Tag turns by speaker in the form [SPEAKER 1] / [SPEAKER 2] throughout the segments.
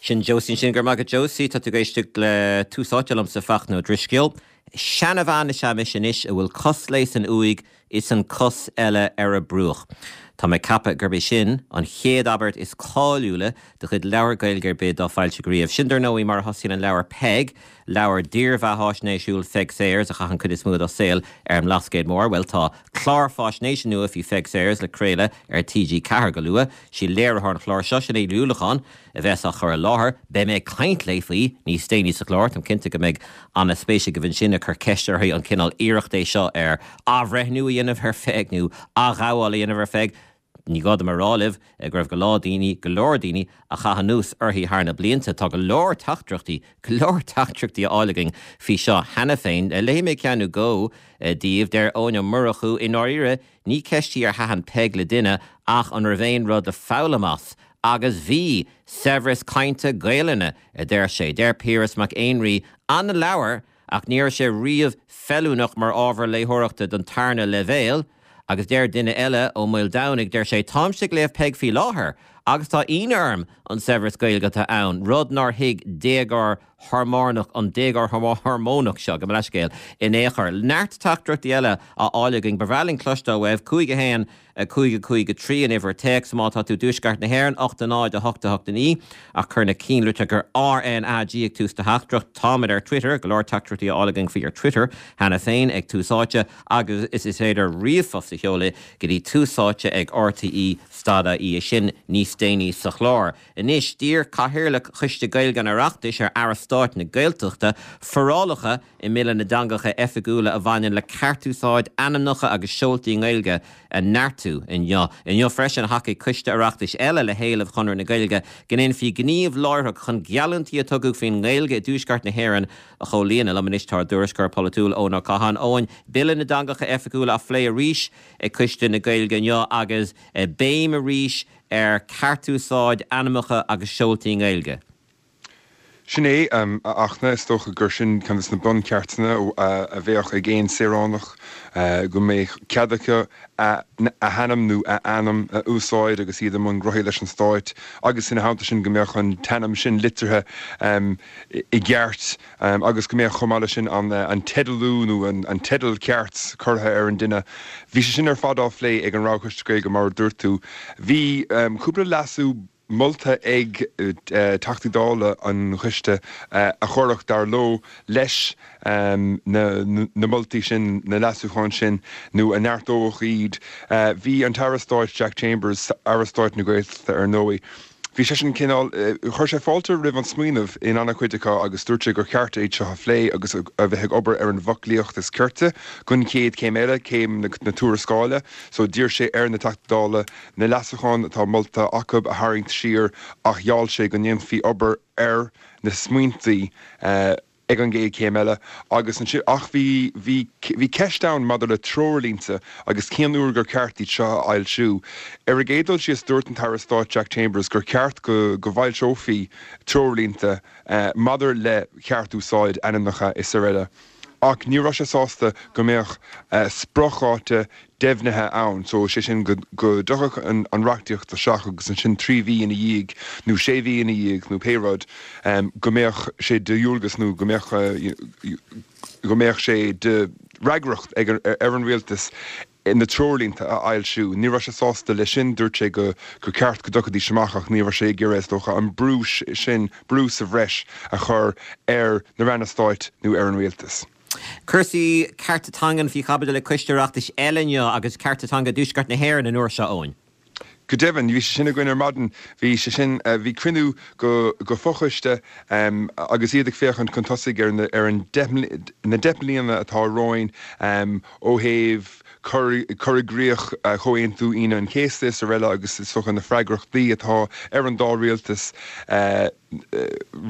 [SPEAKER 1] Sin Josie ansin. Go raibh maith agat Josie. Tá tú ag éisteacht le Tús Áite liomsa Fachtna Ó Drisceoil. Seanabhean is ea mise anois a bhfuil cos léi san uaigh is an cos eile ar a bruach. Tá mé ag ceapadh gurb é sin an chéad abairt is cáiliúla de chuid leabhar Gaeilge ar bith dá foilsíodh riamh. Sin dar ndóigh mar a thosaíonn an leabhar Peig, leabhar dírbheatháisnéisiúil Pheig Sayers a chaith an chuid is mó dá saol ar an mBlascaod Mór. Bhuel tá clár fáisnéise nua faoi Pheig Sayers le craoladh ar TG4 go luath. Sí léiritheoir an chláir seo, Sinéad Ní Uallacháin, a bheas á chur i láthair. Beidh mé ag caint léi faoi níos déanaí sa chlár. Táim cinnte go mbeidh an-spéis agaibh ansin ag cur ceist uirthi an cineál iarracht é seo ar athbhreithniú a dhéanamh ar Pheig nó athghabháil a dhéanamh ar Pheig. Ní gá dom a rá libh go raibh go leor daoine, go leor daoine a chaith anuas uirthi thar na blianta. Tá go leor teachtaireachtaí, go leor teachtaireachtaí á fháil againn faoi seo cheana féin. Léifidh mé ceann nó dhó daoibh. Deir Eoin Ó Murchú, I ndáiríre, ní ceist í ar thaitin Peig le duine ach an raibh aon rud le foghlaim as. Agus bhí! Saibhreas cainte Gaelainne, a deir sé. Deir Piaras Mac Éinrí, Ana-leabhar, ach ní raibh sé riamh feiliúnach mar ábhar léitheoireachta don tarna leibhéal. Agus deir duine eile, Ó Maoldomhnaigh, deir sé, Táimse ag léamh Peig faoi láthair agus tá ionadh orm an saibhreas Gaeilge atá ann, rud nár thuig déagóir hormónach, an déagóir hormónach seo, gabh mo leithscéal, in aon chor. Neart teachtaireachtaí eile á fháil againn. Ba bhreá linn cloisteáil uaibh. 5 1. 5 5 3 an uimhir téacs má tá tú i dtuaisceart na hÉireann, 8 0 8 8 9 ach cuir na cinnlitreacha RNAG ag tús do theachtaireacht. Táimid ar Twitter, go leor teachtaireachtaí á fháil againn faoi ar Twitter cheana féin, ag Tús Áite agus is is féidir ríomhphost a sheoladh go dtí túsáite ag rte stad ie sin níos déanaí sa chlár. Anois, d'iarr Cathaoirleach Choiste Gaeilge an Oireachtais ar Aire Stáit na Gaeltachta forálacha i mBille na dTeangacha Oifigiúla a bhaineann le ceartúsáid ainmneacha agus seoltaí i nGaeilge a neartú inniu. Inniu freisin thacaigh coiste Oireachtais eile le héileamh Chonradh na Gaeilge go ndéanfaí gníomh láithreach chun geallúintí a tugadh faoin nGaeilge i dTuaisceart na hÉireann a chomhlíonadh. Liom anois tá ár dtuairisceoir polaitiúil Eoin Ó Catháin. Eoin, Bille na dTeangacha Oifigiúla á phlé arís ag Coiste na Gaeilge inniu agus béim arís ar cheartúsáid ainmneacha agus seoltaí i nGaeilge.
[SPEAKER 2] Sin é, a Fhachtna, is dócha gur sin ceann de na buncheartanna a bheadh ag aon saoránach, go mbeadh cead acu a hainm nó a ainm a úsáid agus iad i mbun gnóthaí leis an Stát agus ina theannta sin go mbeadh an t-ainm sin litrithe i gceart agus go mbeadh chomh maith leis sin an teidealú nó an teideal ceart curtha ar an duine. Bhí sé sin ar fad á phlé ag an Roghchoiste Gaeilge mar a dúirt tú. Bhí cúpla leasú molta ag Teachtaí Dála an Choiste a chuirfeadh, dar leo, leis na moltaí sin, na leasúcháin sin, nó a neartódh iad. Bhí an tAire Stáit Jack Chambers, Aire Stáit na Gaeltachta ar ndóigh, bhí seisean cineál, chuir sé fáilte roimh an smaoineamh in an-chuid acu agus dúirt sé gur cheart iad seo a phlé agus a bheith ag obair ar an bhfoclaíocht is cirte don chéad chéim eile, céim na tuarascála. So d'iarr sé ar na Teachtaí Dála na leasúcháin atá molta acu a tharraingt siar ach gheall sé go ndéanfaí obair ar na smaointí ag an gcéad chéim eile agus ansin ach bhí bhí bhí ceist ann maidir le treoirlínte agus cén uair gur ceart iad seo a fhoilsiú. Ar an gcéad dul síos dúirt an tAire Stáit Jack Chambers gur cheart go go bhfoilseofaí treoirlínte maidir le ceart-úsáid ainmneacha is araile. Ach ní raibh sé sásta go mbeadh spriocdháta deimhnithe ann, so sé sin go dtiocfadh an reachtaíocht isteach agus ansin 3 mhí ina dhiaidh nó 6 mhí ina dhiaidh nó pé rud go mbeadh sé de dhualgas nó go mbeadh go mbeadh sé de fhreagracht ag ar an rialtas na treoirlínte a fhoilsiú. Ní raibh sé sásta leis sin, dúirt sé go gur ceart go dtiocfaidís amach ach ní raibh sé ag iarraidh is dócha an brú sin, brú sa bhreis a chur ar na ranna stáit nó ar an rialtas.
[SPEAKER 1] Cúrsaí cearta teangan faoi chaibidil ag Coiste Oireachtais eile inniu agus cearta teanga i dTuaisceart na hÉireann an uair seo, Eoin.
[SPEAKER 2] Go deimhin, bhí sé sin againn ar maidin. Bhí sé sin, bhí cruinniú go go fochoiste agus iad ag féachaint chun tosaigh ar na ar an deich na 10 mbliana atá romhainn ó thaobh cur cur i gcrích Chomhaontú Aoine an Chéasta is araile agus is dócha na freagrachtaí atá ar an dá rialtas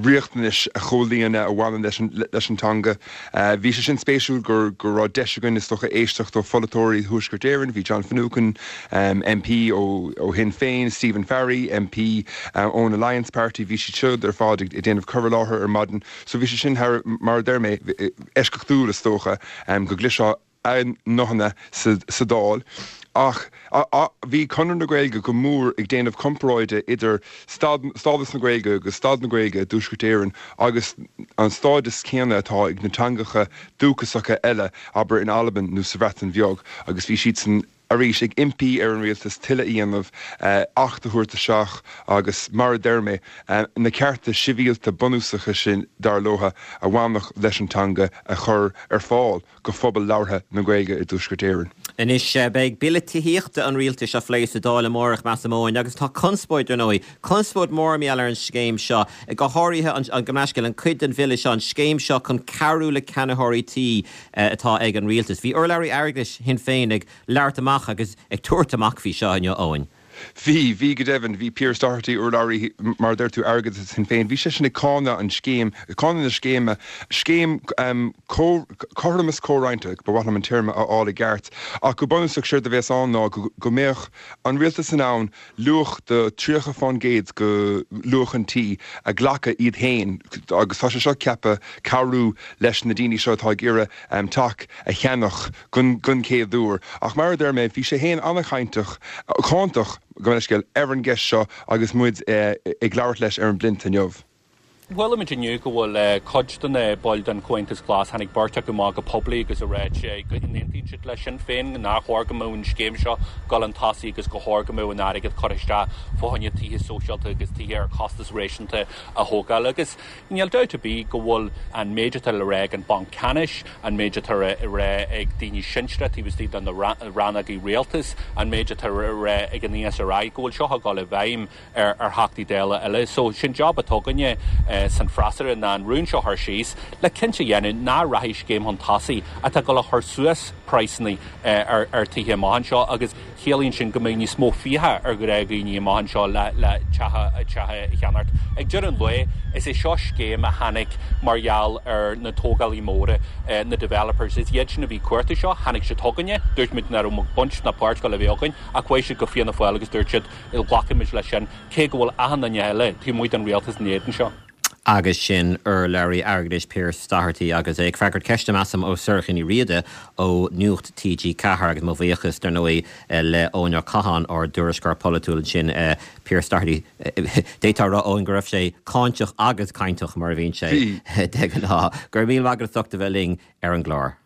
[SPEAKER 2] riachtanais a chomhlíonadh a bhaineann leis an teanga. Bhí sé sin spéisiúil go raibh deis againn is dócha éisteacht ó pholaiteoirí Thuaisceart Éireann, bhí John Finucane, MP ó Shinn Féin, Stephen Farry, MP ón Alliance Party, bhí siad siúd ar fad ag déanamh cur i láthair ar maidin. So bhí sé sin thar, mar a deir mé, eisceachtúil is dócha go gcloisfeá a nguthanna sa Dáil. Ach bhí Conradh na Gaeilge go mór ag déanamh comparáide idir stádas na Gaeilge agus staid na Gaeilge i dTuaisceart Éireann agus an stádas céanna atá ag na teangacha dúchasacha eile, abair in Albain nó sa Bhreatain Bheag, agus bhí siadsan arís ag impí ar an rialtas tuilleadh a dhéanamh, acht a thabhairt isteach agus, mar a deir mé, na cearta sibhialta bunúsacha sin, dar leo, a bhainfeadh leis an teanga a chur ar fáil. go phobal labhartha na Gaeilge i dTuaisceart Éireann.
[SPEAKER 1] Anois, beidh Bille Tithíochta an Rialtais á phlé sa Dáil amárach, measaim, Eoin, agus tá conspóid, ar ndóigh, conspóid mhór mar gheall ar an scéim seo, go háirithe an, gabh mo leithscéal, an cuid den bhille seo, an scéim seo chun cabhrú le ceannaitheoirí tí atá ag an Rialtas. Bhí urlabhraí airgeadais Shinn Féin ag labhairt amach agus ag tabhairt amach faoi seo inniu, Eoin.
[SPEAKER 2] Bhí, bhí go deimhin. Bhí Pearse Doherty, urlabhraí, mar a deir tú, airgeadais Shinn Féin, bhí seisean ag cáineadh an scéim, cáineadh na scéime, scéim cothromas comhroinnte, ba mhaith liom an téarma a fháil i gceart, ach go bunúsach séard a bhéas ann ná go mbeadh an rialtas in ann luach de 30 fán gcéad de luach an tí a ghlacadh iad féin agus tá sé seo ceaptha cabhrú leis na daoine seo atá ag iarraidh teach a cheannach gon chéad uair. Ach mar a deir mé, bhí sé féin an-chainteach, cáinteach, gabh mo leithscéal, ar an gceist seo agus muid ag labhairt leis ar an bPlint inniu.
[SPEAKER 3] Chuala muid inniu go bhfuil cuid de na baill den Chomhaontas Glas, tháinig beirt acu amach go poiblí agus a ráit go n-aontaíonn siad le Sinn Féin nár chóir go mbeadh an scéim seo ag dul chun tosaigh agus gur chóir go mbeadh an airgead curtha isteach fá choinne tithe sóisialta agus tithe ar chostas réasúnta a thógáil. Agus Níl dabht ar bith go bhfuil an méid atá le rá ag an Banc Ceannais, an méid atá le rá ag daoine sinsearacha taobh istigh de na rannógaí rialtais, an méid atá le rá ag an ESRI, go bhfuil seo ag dul i bhfeidhm ar Theachtaí Dála eile. So, sin job atá againne san freasúra ná an rún seo a chur síos le cinnte a dhéanamh nach rachaidh scéim chun tosaigh atá ag dul a chur suas praghsanna ar tithe amach anseo agus Ciallaíonn sin go mbeidh níos mó fiacha ar ghnáthdhaoine amach anseo le teach a cheannacht. Ag deireadh an lae, is é seo scéim a tháinig mar gheall ar na tógálaí móra, na developers. Is iad sin a bhí ag cuartú seo. Tháinig siad chugainne, dúirt muid nach raibh baint ná páirt ag dul a bheith againn, ach chuaigh siad go Fianna Fáil agus dúirt siad, glacfaimid leis sin, cé go bhfuil achan duine eile taobh amuigh den rialtas in éadan seo.
[SPEAKER 1] Agus sin urlabhraí airgeadais Pearse Doherty agus é ag freagairt ceiste, measaim, ó Sorcha Ní Riada ó Nuacht TG4 agus mo bhuíochas, dar ndóigh, le Eoin Ó Catháin, ár dtuairisceoir polaitiúil ansin. Pearse Doherty, d'fhéadfá a rá, Eoin, go raibh sé cáinteach agus cainteach, mar a bhíonn sé de ghnáth. Go raibh míle maith agat as ucht a bheith linn ar an gclár.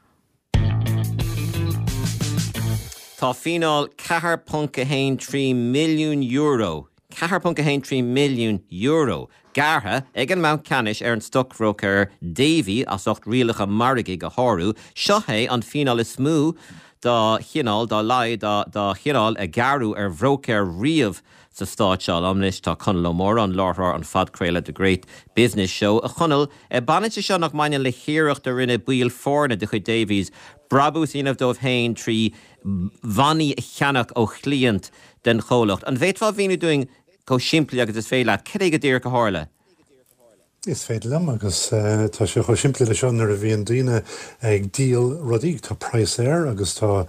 [SPEAKER 1] Tá fíneáil €4.13 milliún, €4.13 milliún, gearrtha ag an mBanc Ceannais ar an stocbhróicéir Davy as ucht rialacha margaidh a shárú. Seo é an fíneáil is mó dá chineál, dá laghad dá chineál, a gearradh ar bhróicéir riamh sa stát seo. Liom anois tá Conall Ó Móráin, láithreoir an phodchraoladh The Great Business Show. A Chonaill, baineann sé seo nach mbaineann le hiarracht a rinne baill foirne de chuid Davys brabús a dhéanamh dóibh féin trí bhannaí a cheannach ó chliaint den chomhlacht. An bhféadfá a mhíniú dúinn chomh simplí agus is féidir leat, cad é go díreach a tharla?
[SPEAKER 4] Is féidir liom, agus tá sé chomh simplí le seo, nuair a bhíonn daoine ag díol rudaí, tá praghas air agus tá,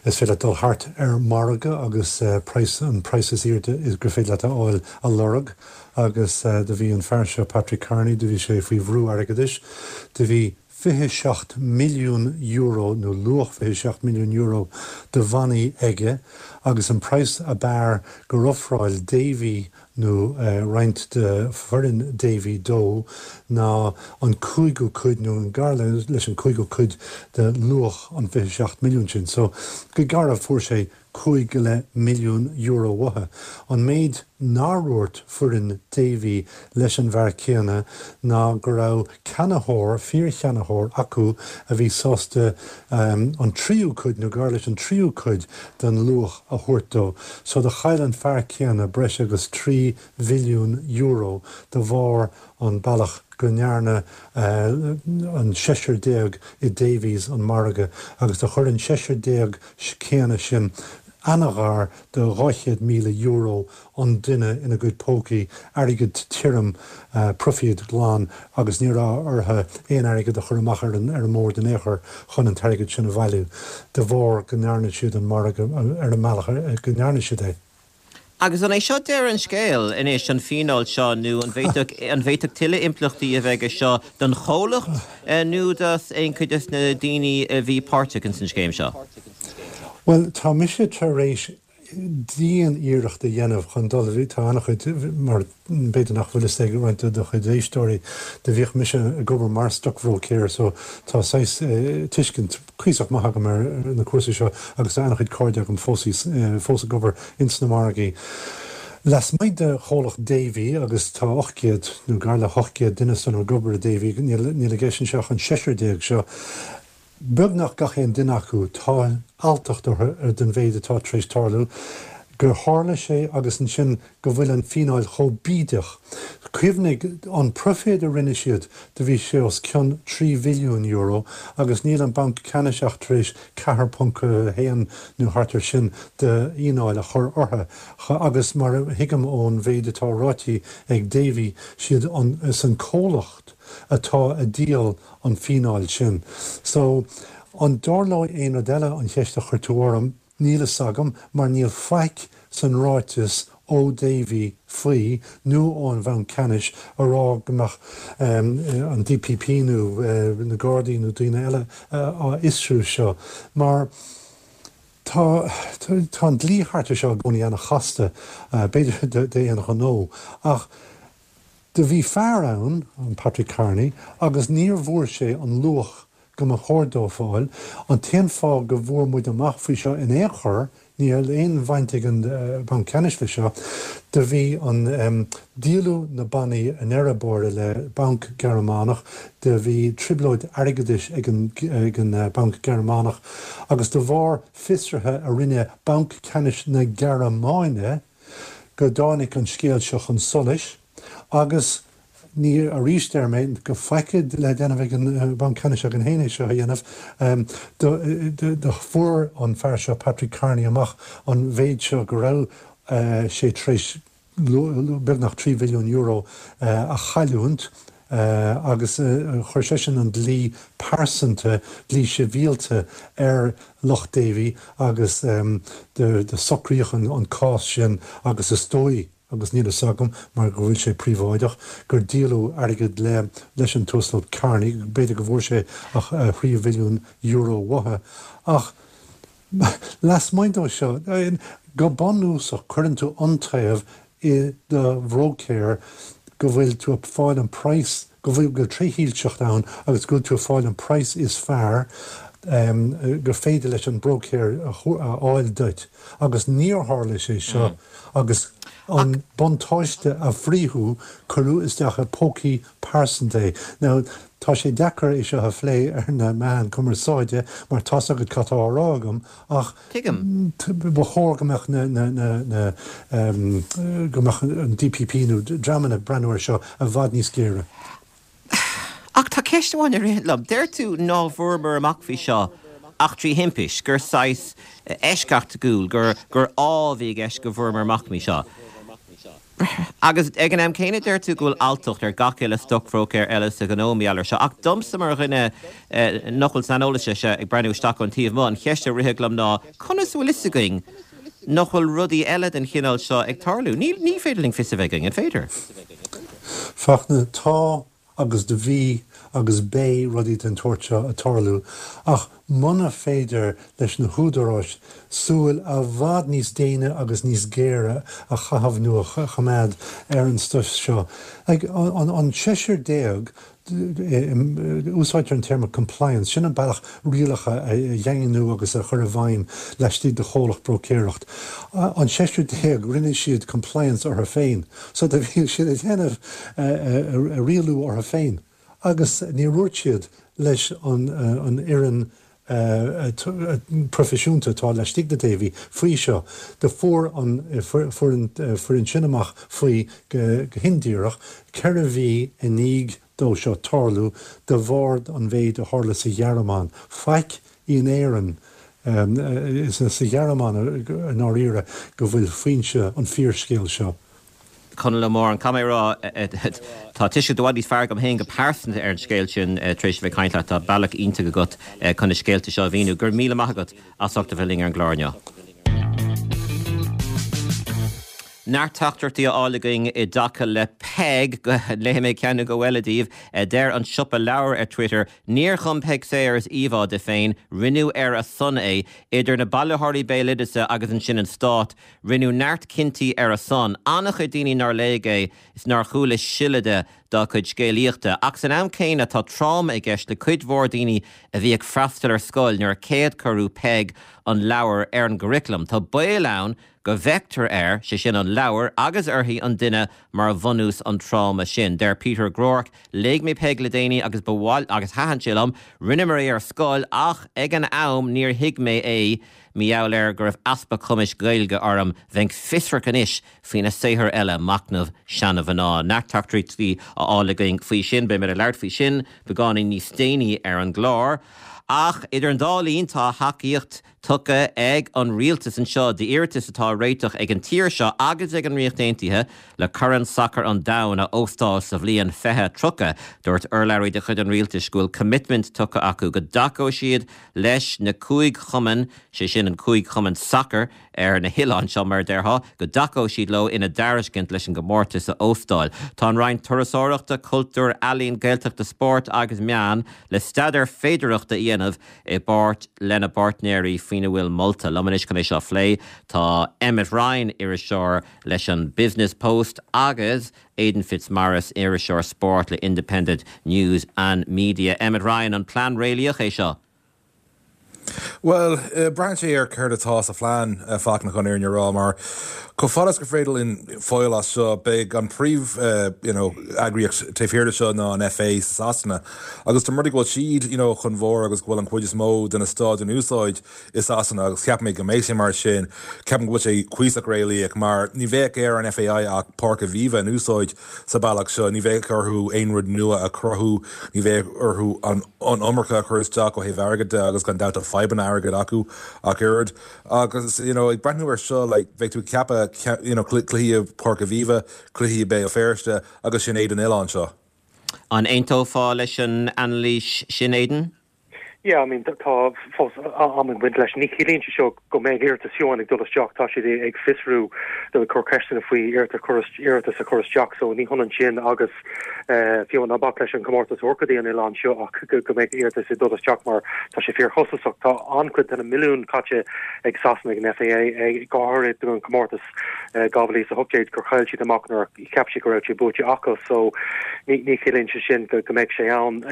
[SPEAKER 4] is féidir leat dul thart ar margadh agus praghas, an praghas is airde gur féidir leat a fháil a lorg agus do bhí an fear seo, Patrick Kearney, do bhí sé faoi bhrú airgeadais, do bhí €27 milliún nó luach €27 milliún de bhannaí aige agus an praghas ab fhearr gur ofráil Davy nó roinnt de foireann Davy dó ná an cúigiú cuid nó gar leis an cúigiú cuid de luach an 27 milliún sin. So, go garbh fuair sé €5.5 milliún uathu. An méid nár dhúirt foireann Davy leis an bhfear céanna ná go raibh ceannaitheoir, fíorcheannaitheoir acu a bhí sásta an tríú cuid nó gar leis an tríú cuid den luach a thabhairt dó. So do chaill an fear céanna breis agus €3 mhilliún de bharr an bealach go ndearna an seisear déag i Davys an margadh agus do chuir an seisear déag céanna sin an-ghar do €200,000 an duine ina gcuid pócaí, airgead tirim, proifíd glan, agus ní raibh orthu aon airgead a chur amach ar an ar an mbord in aon chor chun an t-airgead sin a bhailiú, de bharr go ndearna siad an margadh ar an mbealach go ndearna siad é.
[SPEAKER 1] Agus an é seo deireadh an scéil anois, an fíneáil seo, nó an bhféadfadh an bhféadfadh tuilleadh impleachtaí a bheith aige seo don chomhlacht nó do aon chuid de na daoine a bhí páirteach ins an scéim seo?
[SPEAKER 4] Bhuel, tá mise tar éis dian-iarracht a dhéanamh chun dul, tá an-chuid, mar b'fhéidir nach bhfuil fhios ag roinnt de do chuid éisteoirí, do bhíodh mise ag obair mar stocbhróicéir so tá saghas tuiscint cuíosach maith agam ar na cúrsaí seo agus tá an-chuid cairde agam fós fós ag obair ins na margaí. Lasmuigh de chomhlacht Davy, agus tá 800, nó gar le 800 duine san ag obair i Davy, níl níl i gceist anseo ach an seisear seo, Beagnach gach aon duine acu, tá alltacht orthu ar den mhéid atá tar éis tarlú, gur tharla sé agus ansin go bhfuil an fíneáil chomh bídeach. Cuimhnigh, an proiféad a rinne siad, do bhí sé os cionn €3 bhilliún agus níl an Banc Ceannais ach tar éis 4.1 nó thart ar sin de fhíneáil a chur orthu. Agus mar a thuigim ón mhéid atá ráite ag Davy, siad an, is an comhlacht atá a díol an fíneáil sin. So, an dtarlóidh aon rud eile, an cheist a chuir tú orm, níl fhios agam, mar níl faic san ráiteas ó Davy faoi, nó ón Bhanc Ceannais, a rá go mbeadh an DPP nó na Gardaí nó daoine eile á fhiosrú seo. Mar tá, tá an dlí thart ar seo i gcónaí ana-chasta, b'fhéidir d'aon ghnó, ach Do bhí fear ann, an Patrick Carney, agus níor bhfuair sé an luach go mba chóir dó fáil. An t-aon fáth go bhfuair muid amach faoi seo in aon chor, níl aon bhaint ag an Banc Ceannais le seo, do bhí an, díoladh na bannaí i ndeireadh báire le banc Gearmánach, do bhí trioblóid airgeadais ag an, ag an banc Gearmánach agus de bharr fiosraithe a rinne Banc Ceannais na Gearmáine, go dtáinig an scéal seo chun solais agus ní, arís deir mé, go faic le déanamh ag an Banc Ceannais againn féin é seo a dhéanamh. Do fuair an fear seo, Patrick Carney, amach an mhéid seo go raibh sé tar éis beagnach €3 bhilliún a chailliúint agus chuir seisean an dlí pearsanta, dlí sibhialta ar lucht Davy agus do socraíodh an cás sin agus is dóigh, agus níl fhios agam mar go bhfuil sé príobháideach, gur díoladh airgead le leis an tUasal Carney, b'fhéidir go bhfuair sé a thrí bhilliún euro uathu. Ach lasmuigh dó seo, go bunúsach cuireann tú iontaobh i do bhróicéir go bhfuil tú ag fáil an praghas, go bhfuil, go bhfuil trédhearcacht ann agus go bhfuil tú ag fáil an praghas is fearr gur féidir leis an bróicéir a fháil duit. Agus níor tharla sé seo agus an buntáiste a frítheadh, cuireadh isteach i pócaí pearsanta é. Now, tá sé deacair é seo a phlé ar na meáin cumarsáide mar tá's agat cad tá á rá agam ach
[SPEAKER 1] Tuigim.
[SPEAKER 4] ba chóir go mbeadh na, na, na, na, go mbeadh an DPP nó dreamanna ag breathnú air seo i bhfad níos géire.
[SPEAKER 1] Ach tá ceist amháin a ritheann liom. Deir tú ná bhfuaireamar amach faoi seo ach trí thimpist, gur saghas eisceachtúil, gur, gur ádh a bhí i gceist go bhfuaireamar amach faoi seo. Agus ag an am céanna deir tú go bhfuil alltacht ar gach uile stocbhróicéir eile sa ghnó mar gheall air seo. Ach domsa mar dhuine nach bhfuil saineolas air seo ag breathnú isteach ón taobh amuigh, an cheist a rithfeadh liom ná conas a bhfuil fhios againn nach bhfuil rudaí eile den chineál seo ag tarlú? Ní ní féidir linn fios a bheith againn, an féidir?
[SPEAKER 4] Fachtna, Tá agus do bhí agus beidh rudaí den tsórt seo ag tarlú, ach muna féidir leis na húdaráis súil i bhfad níos déine agus níos géire a chaitheamh nó a choimeád ar an stuif seo, like, an seisear déag, úsáidtear an téarma compliance, sin an bealach rialacha a dhaingniú agus a chur i bhfeidhm laistigh de chomhlacht bróicéireacht. An seisear déag, rinne siad compliance orthu féin. So do bhí siad ag déanamh rialú orthu féin agus níor dhúirt siad leis an fhoireann proifisiúnta atá laistigh de Davy faoi seo. Do fuair an foireann sin amach faoi go hindíreach 4 mhí i ndiaidh dó seo tarlú de bharr an mhéid a tharla sa Ghearmáin. Faic in Éirinn. Is sa Ghearmáin i ndáiríre go bhfuil foinse an fíorscéil seo.
[SPEAKER 1] Conall Ó Móráin, caithfidh mé a rá, tá tuiscint i bhfad níos fearr agam féin go pearsanta ar an scéal sin tar éis a bheith ag caint leat. Tá bealach iontach agat chun na scéalta seo a mhíniú. Go raibh míle maith agat as ucht a bheith linn ar an gclár inniu. Neart teachtaireachtaí á fháil againn i dtaca le Peig. Léifidh mé ceann nó dhó eile daoibh. Deir an Siopa Leabhar ar Twitter, Níor chum Peig Sayers íomhá di féin, rinneadh ar a son é. Idir na bailitheoirí béaloideasa agus ansin an stát, rinneadh neart cinntí ar a son. An-chuid daoine nár léigh é is nár chuala siolla de dá cuid scéalaíochta. Ach san am céanna tá tráma i gceist le cuid mhór daoine a bhí ag freastal ar scoil nuair a céad cuireadh Peig an leabhar ar an gcuraclam. Tá baol ann go bhfeictear air, sé sin an leabhar, agus uirthi, an duine, mar bhunús an tráma sin. Deir Peter Groarke, Léigh mé Peig le déanaí agus ba mhaith, agus thaitin sé liom. Rinneamar é ar scoil ach ag an am níor thuig mé é mar gheall ar go raibh easpa cumais Gaeilge orm. Bheinn fiosrach anois faoina saothar eile, Machnamh Seana-Mhná. Neart teachtaireachtaí á fháil againn faoi sin. Beidh muid ag labhairt faoi sin beagáinín níos déanaí ar an gclár. Ach idir an dá linn tá tacaíocht tugtha ag an rialtas anseo d'iarratas atá á réiteach ag an tír seo agus ag an Ríocht Aontaithe le Corn Sacair an Domhain a óstáil sa bhliain 2030. Dúirt urlabhraí de chuid an rialtais go bhfuil coimitmint tugtha acu go dtacóidh siad leis na cúig chumann, sé sin an cúig chumann sacair ar na hoileáin seo mar a déarfá, go dtacóidh siad leo ina dtairiscint leis an gcomórtas a óstáil. Tá an Roinn Turasóireachta, Cultúir, Ealaíon, Gaeltachta, Spóirt agus Meán le staidéar féidearthachta a dhéanamh i bpáirt lena bpáirtnéirí faoina bhfuil molta. Liom anois chun é seo a phlé tá Emmet Ryan, iriseoir leis an Business Post agus Aidan Fitzmaurice, iriseoir spóirt le Independent News and Media. Emmet Ryan, an plean réalaíoch é seo?
[SPEAKER 5] Bhuel, braitheann sé ar céard atá sa phlean, a Fachtna, chun an fhírinne a rá, mar chomh fada is gur féidir linn fáil as seo, beidh an príomh you know eagraíocht taobh thiar de seo ná an FA sa Sasana. Agus dá mba rud é go bhfuil siad you know chun bharr agus go bhfuil an chuid is mó de na staid in úsáid i Sasana agus ceapaim go mbeidh sé mar sin, ceapaim go bhfuil sé cuíosach réalaíoch mar ní bheadh ar an FAI ach Páirc Aviva in úsáid sa bealach seo, ní bheadh orthu aon rud nua a chruthú, ní bheadh orthu an iomarca a chur isteach ó thaobh airgid de agus gan dabht tá fadhbanna airgid acu ach oiread. Agus you know ag breathnú ar seo like bheadh tú ag ceapadh you know cluichí i Páirc Aviva, cluichí i Béal Feirste agus sin é don oileán seo.
[SPEAKER 1] An aontófá leis an anailís sin, Aidan?
[SPEAKER 6] Yeah, I mean, tá fós am ag baint leis. Ní chiallaíonn sé seo go mbeidh iarratas fiú amháin ag dul isteach. Tá siad ag fiosrú, nó ag cur ceisteanna faoi iarratas a chur isteach, so ní hionann sin agus fiú ná bac leis an chomórtas a thabhairt go dtí an oileán seo ach go mbeidh iarratas ag dul isteach mar tá sé fíorchostasach. Tá an-chuid de na milliúin caite ag Sasana ag an FAI, go háirithe don chomórtas 2018 gur chaill siad amach nuair a cheap siad go raibh sé buaite acu so ní ní chiallaíonn sé sin go go mbeidh sé ann.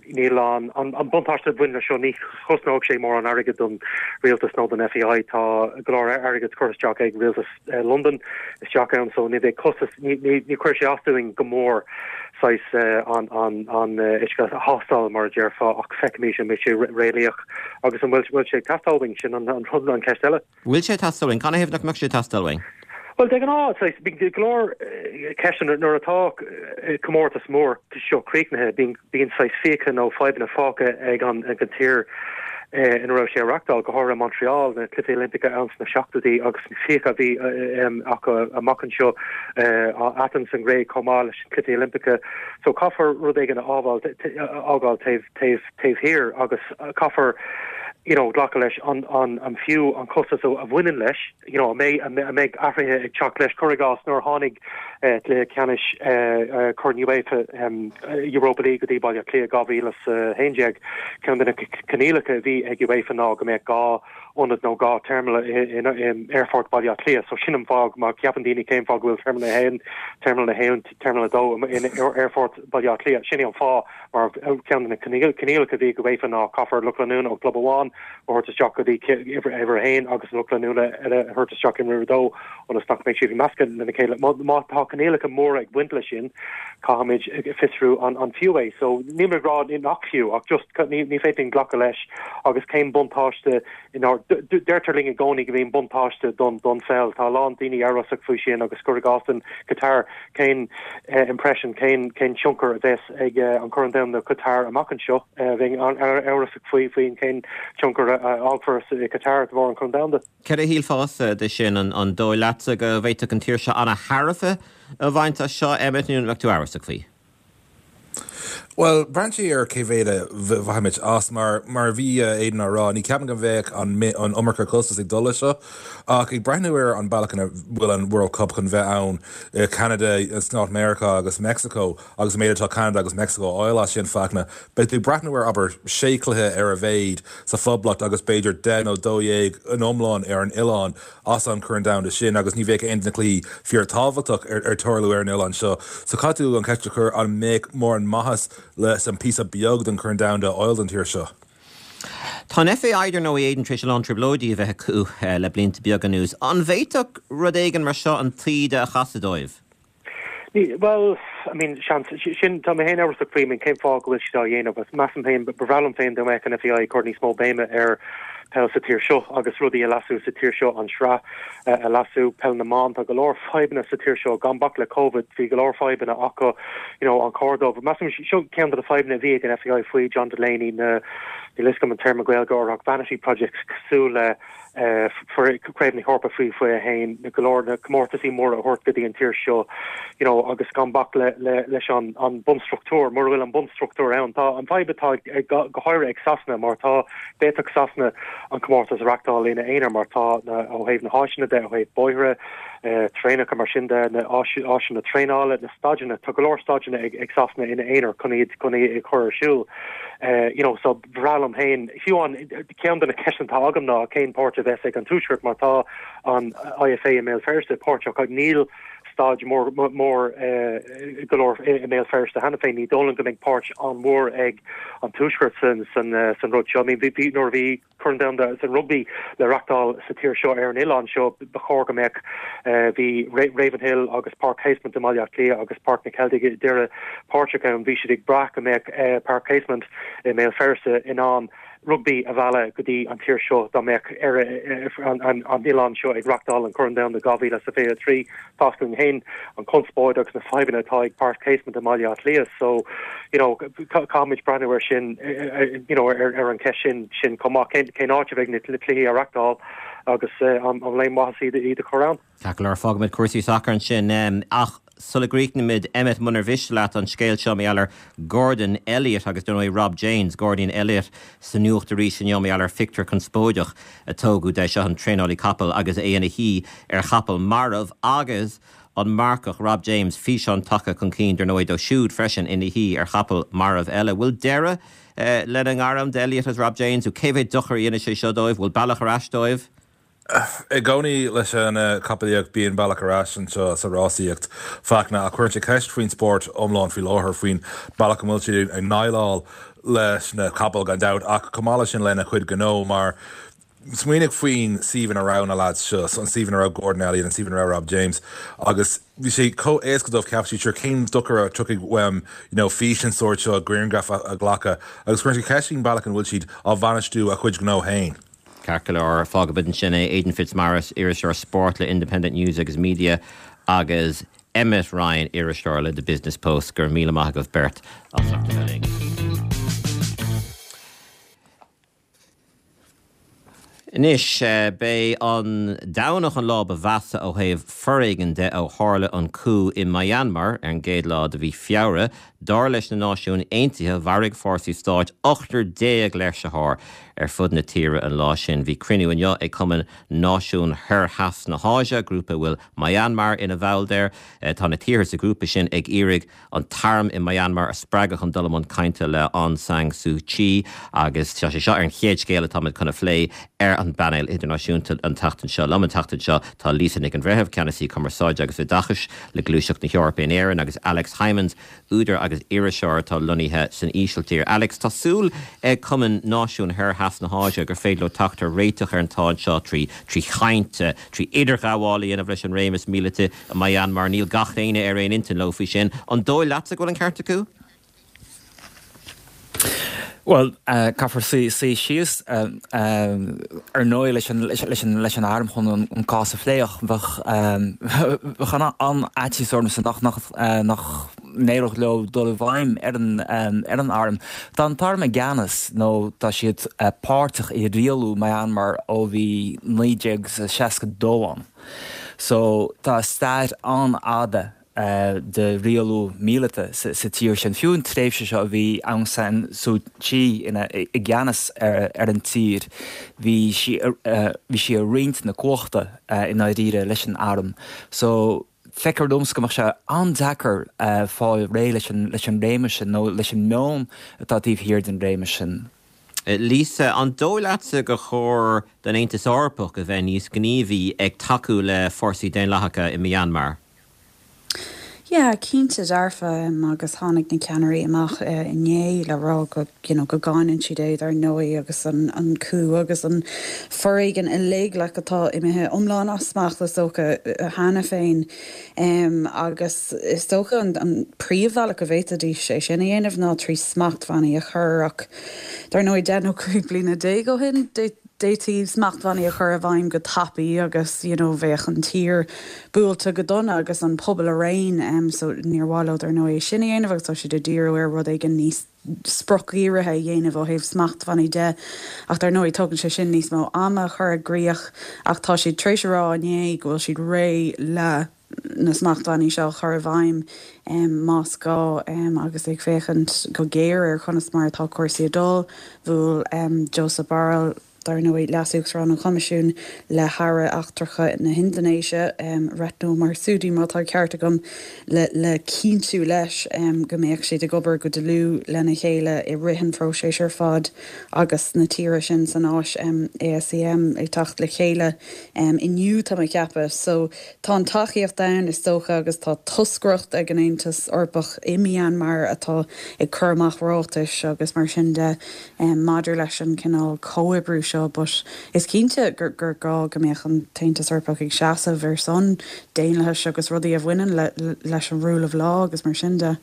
[SPEAKER 6] Níl an an buntáiste a bhain leis seo ní chosnóidh sé mórán airgid don rialtas nó don FAI. Tá go leor airgid curtha isteach ag rialtas Londain isteach ann so ní bheidh costas ní ní ní chuirfidh sé as dúinn go mór saghas an an an uisce a thástáil mar a déarfá ach feicfimid an mbeidh sé réalaíoch agus an bhfuil bhfuil sé ag teastáil uainn sin an an rud an cheist eile.
[SPEAKER 1] Bhfuil sé ag teastáil uainn? Canathaobh nach mbeadh sé ag teastáil uainn?
[SPEAKER 6] Bhuel, de ghnáth, saghas, bíonn go leor ceisteanna nuair atá comórtas mór seo críochnaithe, bíonn, bíonn saghas fiacha nó fadhbanna fágtha ag an, ag an tír ina raibh sé á reachtáil, go háirithe Montreal, na Cluichí Oilimpeacha ann sna seachtóidí agus na fiacha a bhí acu amach anseo, Athens an Ghréig chomh maith leis na Cluichí Oilimpeacha. So caithfear rud éigin a fhágáil, a fhágáil taobh, taobh, taobh thiar agus caithfear you know glacadh leis an an an fiú an costas a bhaineann leis you know an mbeidh an mbeidh athruithe ag teacht leis cuir i gcás nuair a tháinig cluiche ceannais Corn UEFA Europa League go dtí Baile Átha Cliath 2011 ceann de na coinníollacha a bhí ag UEFA ná go mbeadh dhá ionad nó dhá terminal in Aerfort Baile Átha Cliath so sin an fáth má cheapann daoine cén fáth go bhfuil Terminal 1 Terminal 1 Terminal 2 in Aerfort Baile Átha Cliath sin é an fáth Mar ceann de na coinníollacha a bhí ag UEFA ná caithfear lucht leanúna ó chlub amháin a thabhairt isteach go dtí uimhir a haon agus lucht leanúna eile a thabhairt isteach in uimhir a dó ionas nach mbeidh siad ag meascadh lena chéile. Má tá coinníollacha móra ag baint leis sin, caithfimid fiosrú an fiú é. So níl mé ag rá nach fiú ach just ní féidir linn glacadh leis agus cén buntáiste Deirtear linn i gcónaí go mbíonn buntáiste don don pheil. Tá a lán daoine amhrasach faoi sin agus cuir i gcás den Qatar, cén impression, cén cén tionchar a bheas ag an Corn Domhanda Qatar amach anseo? Bheinn amhrasach faoi faoin cén tionchar a fhágfar i Qatar de bharr an Corn Domhanda.
[SPEAKER 1] Céard a shílfeása de sin? An dóigh leatsa go bhféadfadh an tír seo an-thairbhe a bhaint as seo, Emmet, nó an mbeadh tú amhrasach faoi?
[SPEAKER 5] Bhuel, braitheann sé ar cé mhéad a bhfaighimid as. Mar mar a bhí Aidan á rá, ní ceapaim go mbeadh an an iomarca costas ag dul leis seo. Ach ag breathnú ar an bealach ina bhfuil an World Cup chun bheith ann i Ceanada, Stáit Meiriceá agus Meicsiceo agus an méid atá Ceanada agus Meicsiceo a fháil as sin, Fachtna, beidh tú ag breathnú ar, abair, sé chluiche ar a mhéad sa Phoblacht agus b'fhéidir 10 nó 12 in iomlán ar an oileán. as an Chorn Domhanda sin agus ní bheadh aon de na cluichí fíorthábhachtach ar tarlú ar an oileán seo. So caithfidh tú an cheist a chur an mbeadh mórán maitheas leis an píosa beag den Chorn Domhanda a fháil don tír seo?
[SPEAKER 1] Tá an FAI, dar ndóigh, Aidan, tar éis a lán trioblóidí a bheith acu le blianta beaga anuas. An bhféadfadh rud éigin mar seo an taoide a chasadh dóibh?
[SPEAKER 6] Ní, bhuel, I mean, seans, sin, tá mé féin amhrasach faoi, I mean, cén fáth go bhfuil siad á dhéanamh, agus measaim féin, ba bhreá liom féin dá mbeadh an FAI ag cur níos mó béime ar peil sa tír seo agus rudaí a leasú sa tír seo, an sraith a leasú, peil na mban, tá go leor fadhbanna sa tír seo, gan bac le Covid, bhí go leor fadhbanna acu, you know, an cóir dóibh, measaim, seo ceann de na fadhbanna a bhí ag an FAI faoi John Delaney, na, níl a fhios agam an téarma Gaeilge orthu ach vanity projects cosúil le, Craobh na hEorpa faoi 21, na go leor na comórtaisí móra a thabhairt go dtí an tír seo, you know, agus gan bac le, le, leis an, an bunstruchtúr, mura bhfuil an bunstruchtúr ann. Tá an fadhb atá ag, go háirithe ag Sasana mar tá, d'fhéadfadh Sasana an comórtas a reachtáil ina aonar mar tá na, ó thaobh na háiseanna de, ó thaobh bóithre, traenacha mar sin de, na áis, áiseanna traenála, na staideanna, tá go leor staideanna ag, ag Sasana ina aonar chun iad, chun iad a chur ar siúl. You know, so ba bhreá liom féin, fiú amháin, ceann de na ceisteanna atá agam ná cén páirt a bheas ag an Tuaisceart mar tá an IFA i mBéal Feirste páirteach ach níl staid mór mór go leor i mBéal Feirste cheana féin. Ní dóigh liom go mbeidh páirt an-mhór ag an Tuaisceart san san san rud seo. I mean bhí nuair a bhí Corn Domhanda san Rugbaí le reachtáil sa tír seo ar an oileán seo ba chóir go mbeadh bhí Ravenhill agus Páirc Casement i mBaile Átha Cliath agus Páirc na Ceiltigh i Doire páirteach ann. Bhí siad ag brath go mbeadh Páirc Casement i mBéal Feirste in ann rugbaí a mhealladh go dtí an tír seo dá mbeadh an oileán seo ag reachtáil an Corn Domhanda 2023. Tá 'fhios againn féin an conspóid agus na fadhbanna atá ag Páirc Casement i mBaile Átha Cliath so you know caithfimid breathnú ar sin you know ar an cheist sin sin chomh maith. Cén cén áit a bheidh na cluichí á reachtáil agus an bhfuil aon mhaitheas iad iad a chur ann?
[SPEAKER 1] Ceart go leor, fágfaimid cúrsaí sacair ansin. Ach sula gcríochnaímid, Emmet, munar mhiste leat an scéal seo mar gheall ar Gordon Elliott agus dar ndóigh Rob James, Gordon Elliott sa nuacht arís inniu mar gheall ar phictiúr conspóideach a tógadh de, seo an traenálaí capall agus é ina shuí ar chapall marbh agus an marcach Rob James, físeán tagtha chun cinn dar ndóigh dó siúd freisin ina shuí ar chapall marbh eile. Bhfuil deireadh lena ngairm d'Elliott agus Rob James? Cé mhéad dochar a dhéanfaidh sé seo dóibh? Bhfuil bealach ar ais dóibh?
[SPEAKER 5] I gcónaí leis an chapallaíocht bíonn bealach ar ais anseo sa rásaíocht, Fachtna, ach cuireann sé ceist faoin spórt iomlán faoi láthair, faoin bealach a bhfuil siad ag ndéileáil leis na capaill gan dabht ach chomh maith leis sin lena chuid gnó mar smaoinigh faoin suíomh ina raibh na lads seo, an suíomh ina raibh Gordon Elliott, an suíomh ina raibh Rob James agus bhí sé chomh éasca dóibh ceapadh siad sure cén dochar a tiocfaidh uaim you know fís den sórt seo, grianghraf a ghlacadh agus cuireann sé ceist faoin bealach an bhfuil siad á bhainistiú a chuid gnó féin.
[SPEAKER 1] Ceart go leor, fágfaimid ansin é. Aidan Fitzmaurice, iriseoir spóirt le Independent News agus Media agus Emmet Ryan, iriseoir le The Business Post. Go raibh míle maith agaibh beirt as ucht a bheith linn. Anois, b'é an Domhnach an lá ba mheasa ó thaobh foréigin de ó tharla an coup i Myanmar ar an gcéad lá de mhí Feabhra. Dar leis na Náisiúin Aontaithe, mharaigh fórsaí stáit ochtar déag léirsitheoir ar fud na tíre an lá sin. Bhí cruinniú inniu ag Cumann Náisiún Thoir-Theas na hÁise, grúpa a bhfuil Myanmar ina bhall de. Tá na tíortha sa ghrúpa sin ag iarraidh an t-arm i Myanmar a spreagadh chun dul i mbun cainte le Aung San Suu Kyi agus tá sé seo ar an chéad scéal atáimid chun a phlé ar an bpainéal idirnáisiúnta an tseachtain seo. Liom an tseachtain seo tá Lisa Nic an Bhreithimh, Ceannasaí Cumarsáide agus Oideachais le Gluaiseacht na hEorpa in Éirinn agus Alex Hijmans, údar agus iriseoir atá lonnaithe san Ísiltír. Alex, tá súil ag Cumann Náisiún Thoir-Theas na hÁise gur féidir leo teacht ar réiteach ar an tsáinn seo trí chaint, trí idirghabháil a dhéanamh leis an réimeas míleata i Myanmar. Níl gach éinne ar aon intinn leo faoi sin. An dóigh leatsa go bhfuil an ceart acu?
[SPEAKER 7] Bhuel, caithfear suí síos, ar ndóigh, leis an arm chun an cás a phlé ach bheadh an-fhaitíos ormsa nach n-éireodh leo dul i bhfeidhm ar an arm. Tá an t-arm i gceannas nó tá siad páirteach i rialú Myanmar ó bhí 1962 ann. So tá stair an-fhada. de rialú míleata sa tír sin. Fiú an tréimhse seo a bhí Aung San Suu Kyi ina i gceannas ar an tír, bhí sí bhí sí ag roinnt na cumhachta i ndáiríre leis an arm. So feictear domsa go mbeadh sé an-deacair fáil réidh leis an leis an réimeas sin nó leis an meon atá taobh thiar den réimeas sin.
[SPEAKER 1] Lisa, an dóigh leatsa gur chóir don Aontas Eorpach a bheith níos gníomhaí ag tacú le fórsaí daonlathacha i Myanmar?
[SPEAKER 8] Yeah, cinnte dearfa, agus tháinig na ceannairí amach inné le rá go, you know, go gcáineann siad é dar ndóigh agus an an coup agus an foréigean uilig like atá imithe iomlán as smacht is dócha cheana féin. Agus is dócha an an príomhbhealach go bhféadfaidís é sin a dhéanamh ná trí smachtbhannaí a chur ach dar ndóigh 10 nó 15 bliana ó shin d'fhéadfaí smachtbhannaí a chur i bhfeidhm go tapaidh agus you know bheadh an tír buailte go dona agus an pobal araon so níor mhaith leo dar ndóigh é sin a dhéanamh agus tá siad ag díriú ar rud éigin níos spriocdhírithe a dhéanamh ó thaobh smachtbhannaí de ach dar ndóigh tógann sé sin níos mó ama a chur i gcrích ach tá siad tar éis a rá inné go bhfuil siad réidh le na smachtbhannaí seo a chur i bhfeidhm más gá agus ag féachaint go géar ar conas mar atá cúrsaí ag dul. Bhuail Josep Borrell, dar ndóigh, Leas-Uachtarán an Choimisiúin, le hAire Eachtracha na hIndinéise, Retno Marsudi má tá an ceart agam, le cinntiú leis go mbeadh siad ag obair go dlúth lena chéile i rith an phróisis ar fad agus na tíortha sin san Áis, ASEM, ag teacht le chéile inniu, tá mé ag ceapadh. So. Tá an tacaíocht ann, is dócha, agus tá toscaireacht ag an Aontas Eorpach i Myanmar atá ag cur amach ráitis agus mar sin de maidir leis an cineál comhoibriú seo. But is cinnte gur gá go mbeadh an tAontas Eorpach ag seasamh ar son daonlathais agus rudaí a bhaineann leis an rule of law agus mar sin de.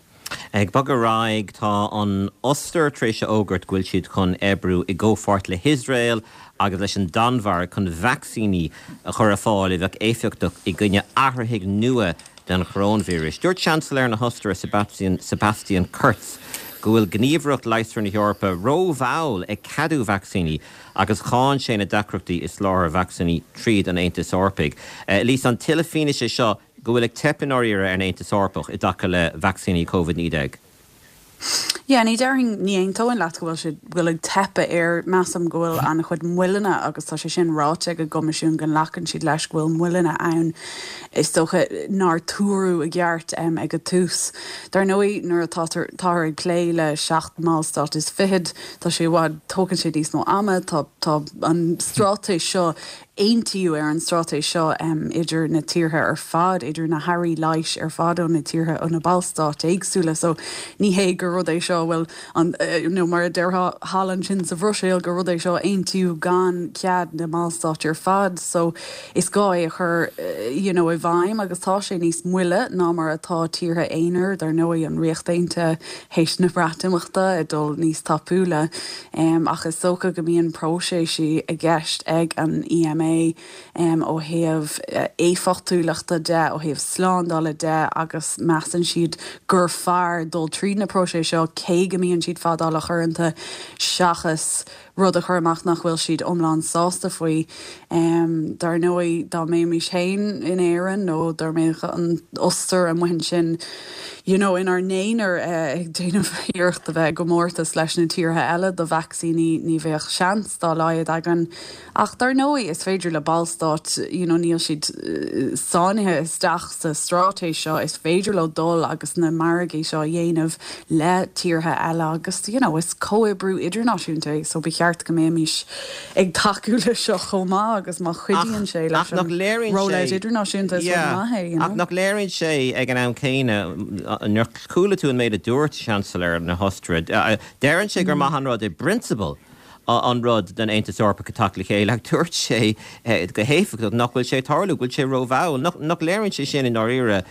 [SPEAKER 1] Ag bogadh ar aghaidh, tá an Ostair tar éis a fhógairt go bhfuil siad chun oibriú i gcomhpháirt le hIosrael agus leis an Danmhairg chun vacsaíní a chur ar fáil a bheadh éifeachtach i gcoinne athraithigh nua den choróinvíreas. Dúirt Seansailéir na hOstaire Sebastian Kurz go bhfuil Gníomhaireacht Leigheasra na hEorpa rómhall ag ceadú vacsaíní agus cháin sé na deacrachtaí i soláthar vacsaíní tríd an Aontas Eorpaigh. Lisa, an tuilleadh fianaise seo go bhfuil ag teip i ndáiríre ar an Aontas Eorpach i dtaca le vacsaíní Covid-19.
[SPEAKER 8] Yeah, ní déarfainn, ní aontóinn leat go bhfuil sé, go bhfuil ag teip air. Measaim go bhfuil an-chuid moilleanna agus tá sé sin ráite ag an gCoimisiún go nglacann siad leis go bhfuil moilleanna ann is dócha nár tuaradh i gceart ag an tús. Dar ndóigh nuair atá táthar ag plé le seacht mballstát is fichead tá sé i bhfad, tógann sé níos mó ama, tá tá an straitéis seo Aontaíodh ar an straitéis seo idir na tíortha ar fad, idir na hairí leighis ar fad ó na tíortha, ó na ballstáit éagsúla. So ní hé gur rud é seo a bhfuil an, nó mar a déarfá thall ansin sa Bhruiséil, gur rud é seo a aontaíodh gan cead na mballstát ar fad. So is gá é a chur you know i bhfeidhm agus tá sé níos moille ná mar atá tíortha aonair, dar ndóigh, an Ríocht Aontaithe théis na Breatimeachta ag dul níos tapúla. Ach is dócha go mbíonn próiseas i gceist ag an EMA ó thaobh éifeachtúlachta de, ó thaobh slándála de agus measann siad gur fearr dul tríd na próisis seo cé go mbíonn siad fadálach uaireanta seachas rud a chur amach nach bhfuil siad iomlán sásta faoi. Dar ndóigh, dá mbeimis féin in Éirinn nó dá mbeadh an Ostair amuigh ansin, you know, inár n-aonar ag déanamh iarracht a bheith i gcomórtas leis na tíortha eile do vacsaíní, ní bheadh seans dá laghad againn. Ach dar ndóigh, is féidir le ballstáit, you know, níl siad sáinnithe isteach sa straitéis seo, is féidir leo dul agus na margaí seo a dhéanamh le tíortha eile agus, you know, is comhoibriú idirnáisiúnta é so ba cheart go mbeimis ag tacú leis seo chomh maith agus má chuidíonn sé leis an rollout idirnáisiúnta is rud maith é, you know.
[SPEAKER 1] Ach nach léiríonn sé ag an am céanna, nuair a chuala tú an méid a dúirt Seansailéir na hOstaire, deireann sé gur maith an rud i bprionsabal an rud don Aontas Eorpach a teacht le chéile ach dúirt sé go héifeachtach nach bhfuil sé ag tarlú, go bhfuil sé rómhall. Nach léiríonn sé sin i ndáiríre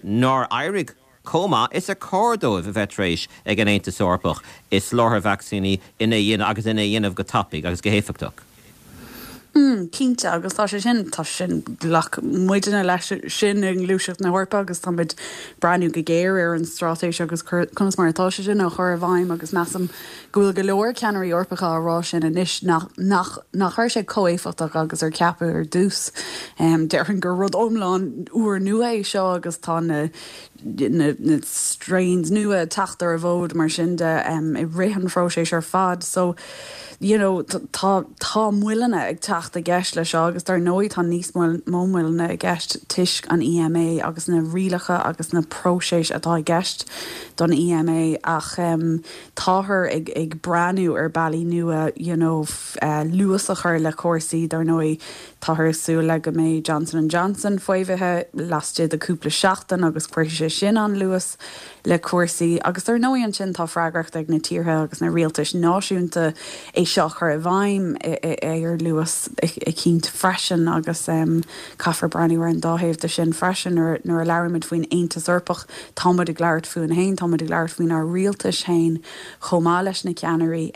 [SPEAKER 1] nár éirigh chomh maith is a chóir dóibh a bheith tar éis ag an Aontas Eorpach i soláthar vacsaíní ina dhéanamh agus ina dhéanamh go tapaidh agus go héifeachtach.
[SPEAKER 8] Mm, cinnte, agus tá sé sin, tá sé sin, ghlac muidne leis sin i nGluaiseacht na hEorpa agus táimid breathnú go géar ar an straitéis agus conas mar atá sé sin á chur i bhfeidhm agus measaim go bhfuil go leor ceannairí Eorpacha á rá sin anois nach, nach, nach raibh sé chomh éifeachtach agus ar ceapadh ar dtús. Déarfainn gur rud iomlán úrnua é seo agus tá na, na, na strains nua ag teacht ar an bhfód mar sin de i rith an phróisis ar fad. So, you know, tá, tá moilleanna ag teacht i gceist le seo agus dar ndóigh tá níos mó moilleanna i gceist toisc an EMA agus na rialacha agus na próisis atá i gceist don EMA ach táthar ag, ag breathnú ar bealaí nua, you know, luas a chur le cúrsaí dar ndóigh táthar ag súil le go mbeidh Johnson and Johnson faomhaithe laistigh de cúpla seachtain agus cuirfidh sé sin an-luas le cúrsaí agus dar ndóigh ansin tá freagracht ag na tíortha agus na rialtais náisiúnta é seo a chur i bhfeidhm ar luas eicínt freisin agus caithfear breathnú ar an dá thaobh de sin freisin. Nuair a labhraímid faoin Aontas Eorpach táimid ag labhairt fúinn féin, táimid ag labhairt faoinár rialtais féin chomh maith leis na ceannairí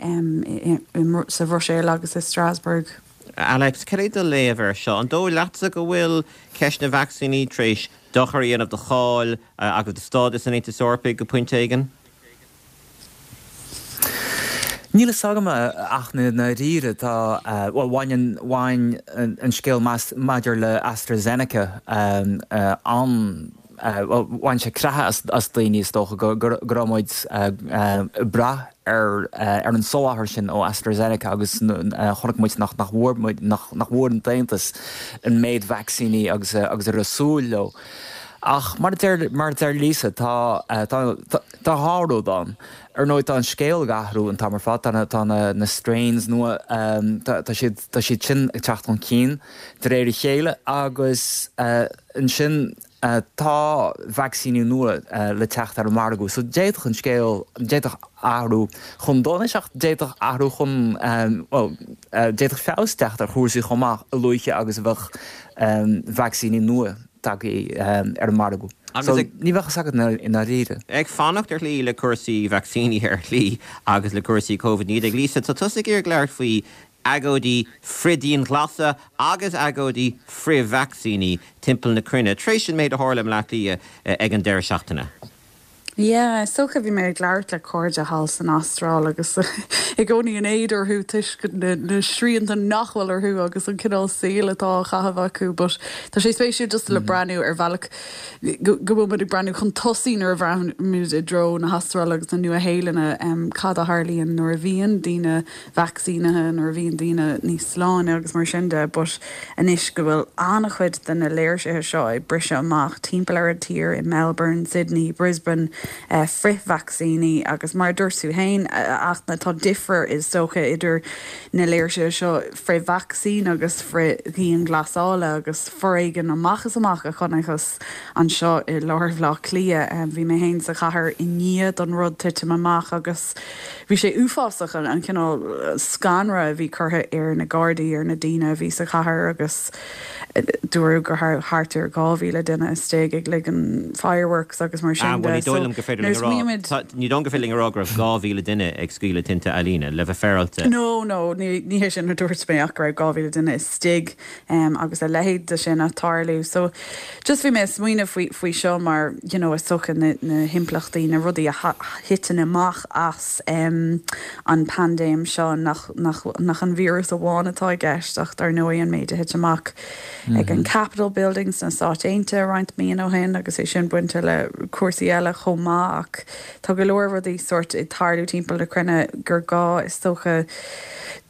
[SPEAKER 8] sa Bhruiséil agus i Strasbourg.
[SPEAKER 1] Alex, cad é do léamh air seo? An dóigh leatsa go bhfuil ceist na vacsaíní tar éis dochar a dhéanamh do cháil agus do stádas an Aontais Eorpaigh go pointe éigin?
[SPEAKER 7] Níl fhios agam ach i ndáiríre tá, bhuel bhain an, bhain an scéal maidir le AstraZeneca an, bhuel bhain sé creathadh as daoine is dócha go raibh muid ag brath ar ar an soláthar sin ó AstraZeneca agus chonaic muid nach nach bhfuair muid, nach nach bhfuair an tAontas an méid vacsaíní agus agus a raibh súil leo. Ach mar a deir mar a deir Lisa tá tá tá dhá rud ann. Ar ndóigh tá an scéal ag athrú an t-am ar fad, tá na tá na na strains nua tá tá siad tá siad sin ag teacht chun cinn de réir a chéile agus ansin Tá vacsaíní nua le teacht ar an margadh so d'fhéadfadh an scéal, d'fhéadfadh athrú chun donais ach d'fhéadfadh athrú chun, bhuel, d'fhéadfadh feabhas teacht ar chúrsaí chomh maith a luaithe agus a bheadh vacsaíní nua tagtha ar an margadh. So ní bheadh fhios agat i ndáiríre.
[SPEAKER 1] Ag fanacht ar shlí le cúrsaí vacsaíní ar shlí agus le cúrsaí Covid-19. Lisa, tá tusa ag iarraidh labhairt faoi agóidí frith-dianghlasála agus agóidí frith-vacsaíní timpeall na cruinne tar éis an méid a tharla i mBleá Cliath ag an deireadh seachtaine.
[SPEAKER 8] Yeah, is dócha bhí mé ag labhairt le cairde thall san Astráil agus i gcónaí in éad orthu toisc na srianta nach bhfuil orthu agus an cineál saoil atá á chaitheamh acu but tá sé spéisiúil just le breathnú ar bhealach go bhfuil muid ag breathnú chun tosaigh nuair a bhreathnaímid i dtreo na hAstráile agus na Nua-Shéalainne cad a tharlaíonn nuair a bhíonn daoine vacsaínithe nuair a bhíonn daoine níos sláine agus mar sin de but anois go bhfuil an-chuid de na léirsithe seo ag briseadh amach timpeall ar an tír i Melbourne, Sydney, Brisbane, frith-vacsaíní agus mar a dúirt tú féin a Fhachtna tá difear is dócha idir na léirsithe seo frith-vacsaín agus frith-dhianghlasála agus foréigean amach is amach a chonacthas anseo i lár Bhaile Átha Cliath. Bhí mé féin sa chathair i ndiaidh don rud titim amach agus Bhí sé uafásach an cineál scanradh a bhí curtha ar na Gardaí, ar na daoine a bhí sa chathair agus dúradh go raibh thart ar 2,000 duine istigh ag ligean fireworks agus mar sin
[SPEAKER 1] de. Ní dóigh liom gur féidir linn a rá, ní dóigh liom gur féidir linn a rá go raibh 2,000 duine ag scaoileadh tinte ealaíne, le bheith féaráilte.
[SPEAKER 8] No, no, ní hé sin a dúirt mé ach go raibh 2,000 duine istigh agus a leithéid de sin ag tarlú. So just bhí mé ag smaoineamh faoi faoi seo mar you know is dócha na na himpleachtaí, na rudaí a thiteann amach as an paindéim seo nach nach nach an víreas amháin atá i gceist ach dar ndóigh an méid a thit amach ag an Capitol Building sna Stáit Aontaithe roinnt míonna ó shin agus é sin bainte le cúrsaí eile chomh maith ach tá go leor rudaí sórt ag tarlú timpeall na cruinne gur gá is dócha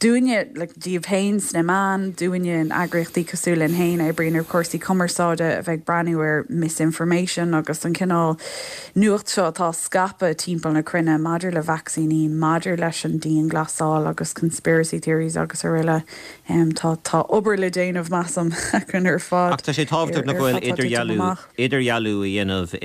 [SPEAKER 8] dúinne like daoibh féin sna meáin, dúinne in eagraíochtaí cosúil linn féin a oibríonn ar chúrsaí cumarsáide, a bheith ag breathnú ar misinformation agus an cineál nuacht seo atá á scaipeadh timpeall na cruinne maidir le vacsaíní, maidir leis an dianghlasáil agus conspiracy theories agus araile. Tá tá obair le déanamh, measaim, againn ar fad
[SPEAKER 1] Ach tá sé tábhachtach nach bhfuil idirdhealú idirdhealú a dhéanamh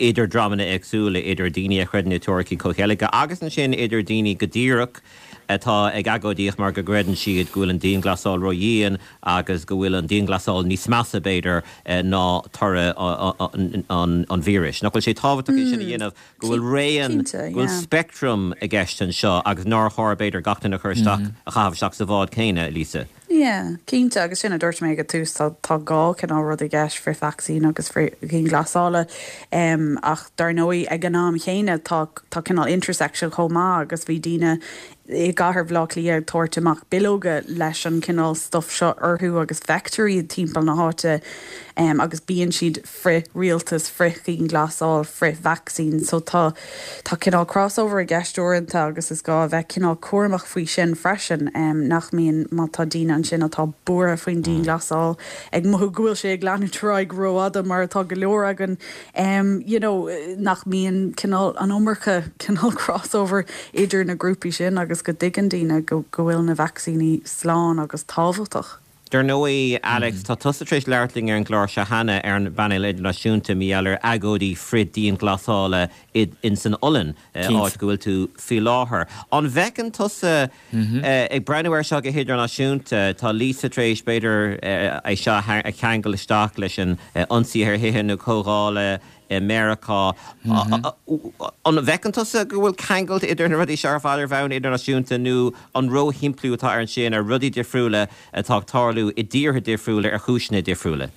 [SPEAKER 1] idir dreamanna éagsúla, idir daoine a chreideann i teoiricí comhcheilge agus ansin idir daoine go díreach atá ag agóidíocht mar go gcreideann siad go bhfuil an dianghlasáil ródhian agus go bhfuil an dianghlasáil níos measa, b'fhéidir, ná toradh an víris. Nach bhfuil sé tábhachtach é sin a dhéanamh, go bhfuil raon, go bhfuil speictream i gceist anseo agus nár chóir, b'fhéidir, gach duine a chur isteach, a chaitheamh isteach sa bhád céanna, Lisa?
[SPEAKER 8] Yeah. Yeah, cinnte, agus sin a dúirt mé ag an tús, tá tá dhá chineál rud i gceist, frith-vacsaín agus frith-dhianghlasála. Ach dar ndóigh ag an am chéanna tá tá cineál intersection chomh maith agus bhí daoine i gcathair Bhaile Átha Cliath ag tabhairt amach bileoga leis an cineál stuff seo orthu agus feictear iad timpeall na háite agus bíonn siad frith-rialtas, frith-dhianghlasáil, frith-vacsaín. So tá, tá cineál crossover i gceist uaireanta agus is gá a bheith cineál cúramach faoi sin freisin, nach mbíonn, má tá daoine ansin atá buartha faoin dianghlasáil, ag mothú go bhfuil sé ag leanúint ar aghaidh rófhada mar atá go leor againn, you know, nach mbíonn cineál an iomarca cineál crossover idir na grúpaí sin agus go dtuigeann daoine go, go bhfuil na vacsaíní slán agus tábhachtach.
[SPEAKER 1] Dar ndóigh, Alex, tá tusa tar éis labhairt linn ar an gclár seo cheana ar an bpainéal idirnáisiúnta mar gheall ar agóidí frith-dianghlasála in san Ollainn, áit go bhfuil tú faoi láthair. An bhfeiceann tusa, ag breathnú air seo go hidirnáisiúnta, tá Lisa tar éis, b'fhéidir, é seo a cheangal isteach leis an ionsaí ar thithe na comhdhála i Meiriceá. An bhfeiceann tusa go bhfuil ceangal idir na rudaí seo ar fad ar bhonn idirnáisiúnta nó an róshimpliú atá air ansin ar rudaí difriúla atá ag tarlú i dtíortha difriúla ar chúiseanna difriúla?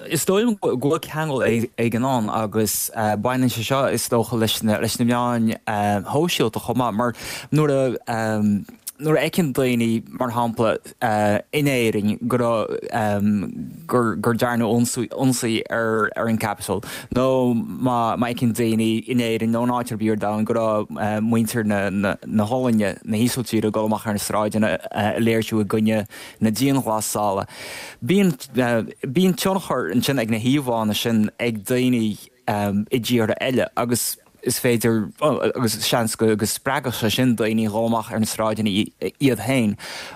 [SPEAKER 7] Is dóigh liom go bhfuil ceangal éigin ann agus baineann sé seo is dócha leis na meáin shóisialta chomh maith mar nuair a nuair a fheiceann daoine mar shampla in Éirinn go raibh, gur, gur dearnadh ionsaí ar, ar an Capitol nó má, má fheiceann daoine in Éirinn nó in áit ar bith ar domhan go raibh muintir na, na, na hOllainne, na hÍsiltíre ag dul amach ar na sráideanna ag léirsiú i gcoinne na dianghlasála. Bíonn, bíonn tionchar ansin ag na híomhánna sin ag daoine i dtíortha eile agus is féidir, agus seans go spreagfadh sé sin daoine a dhul amach ar na sráideanna iad féin.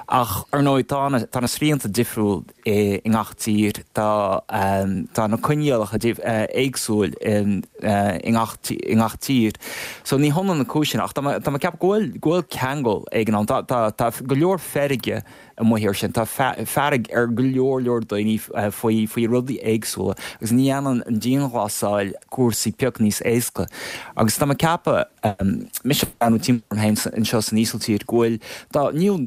[SPEAKER 7] Ach ar ndóigh tá na, tá na srianta difriúil i ngach tír, tá, tá na coinníollacha éagsúil i ngach, i ngach tír. So ní hionann na cúiseanna ach tá mé, tá mé ag ceapadh go bhfuil, go bhfuil ceangal éigin ann. Tá, tá, tá go leor feirge amuigh air sin. Tá fearg ar go leor leor daoine faoi faoi rudaí éagsúla agus ní dhéanann an dianghlasáil cúrsaí pioc níos éasca. Agus tá mé ag ceapadh, mise ag breathnú timpeall orm féin anseo san Ísiltír, go bhfuil, tá, níl,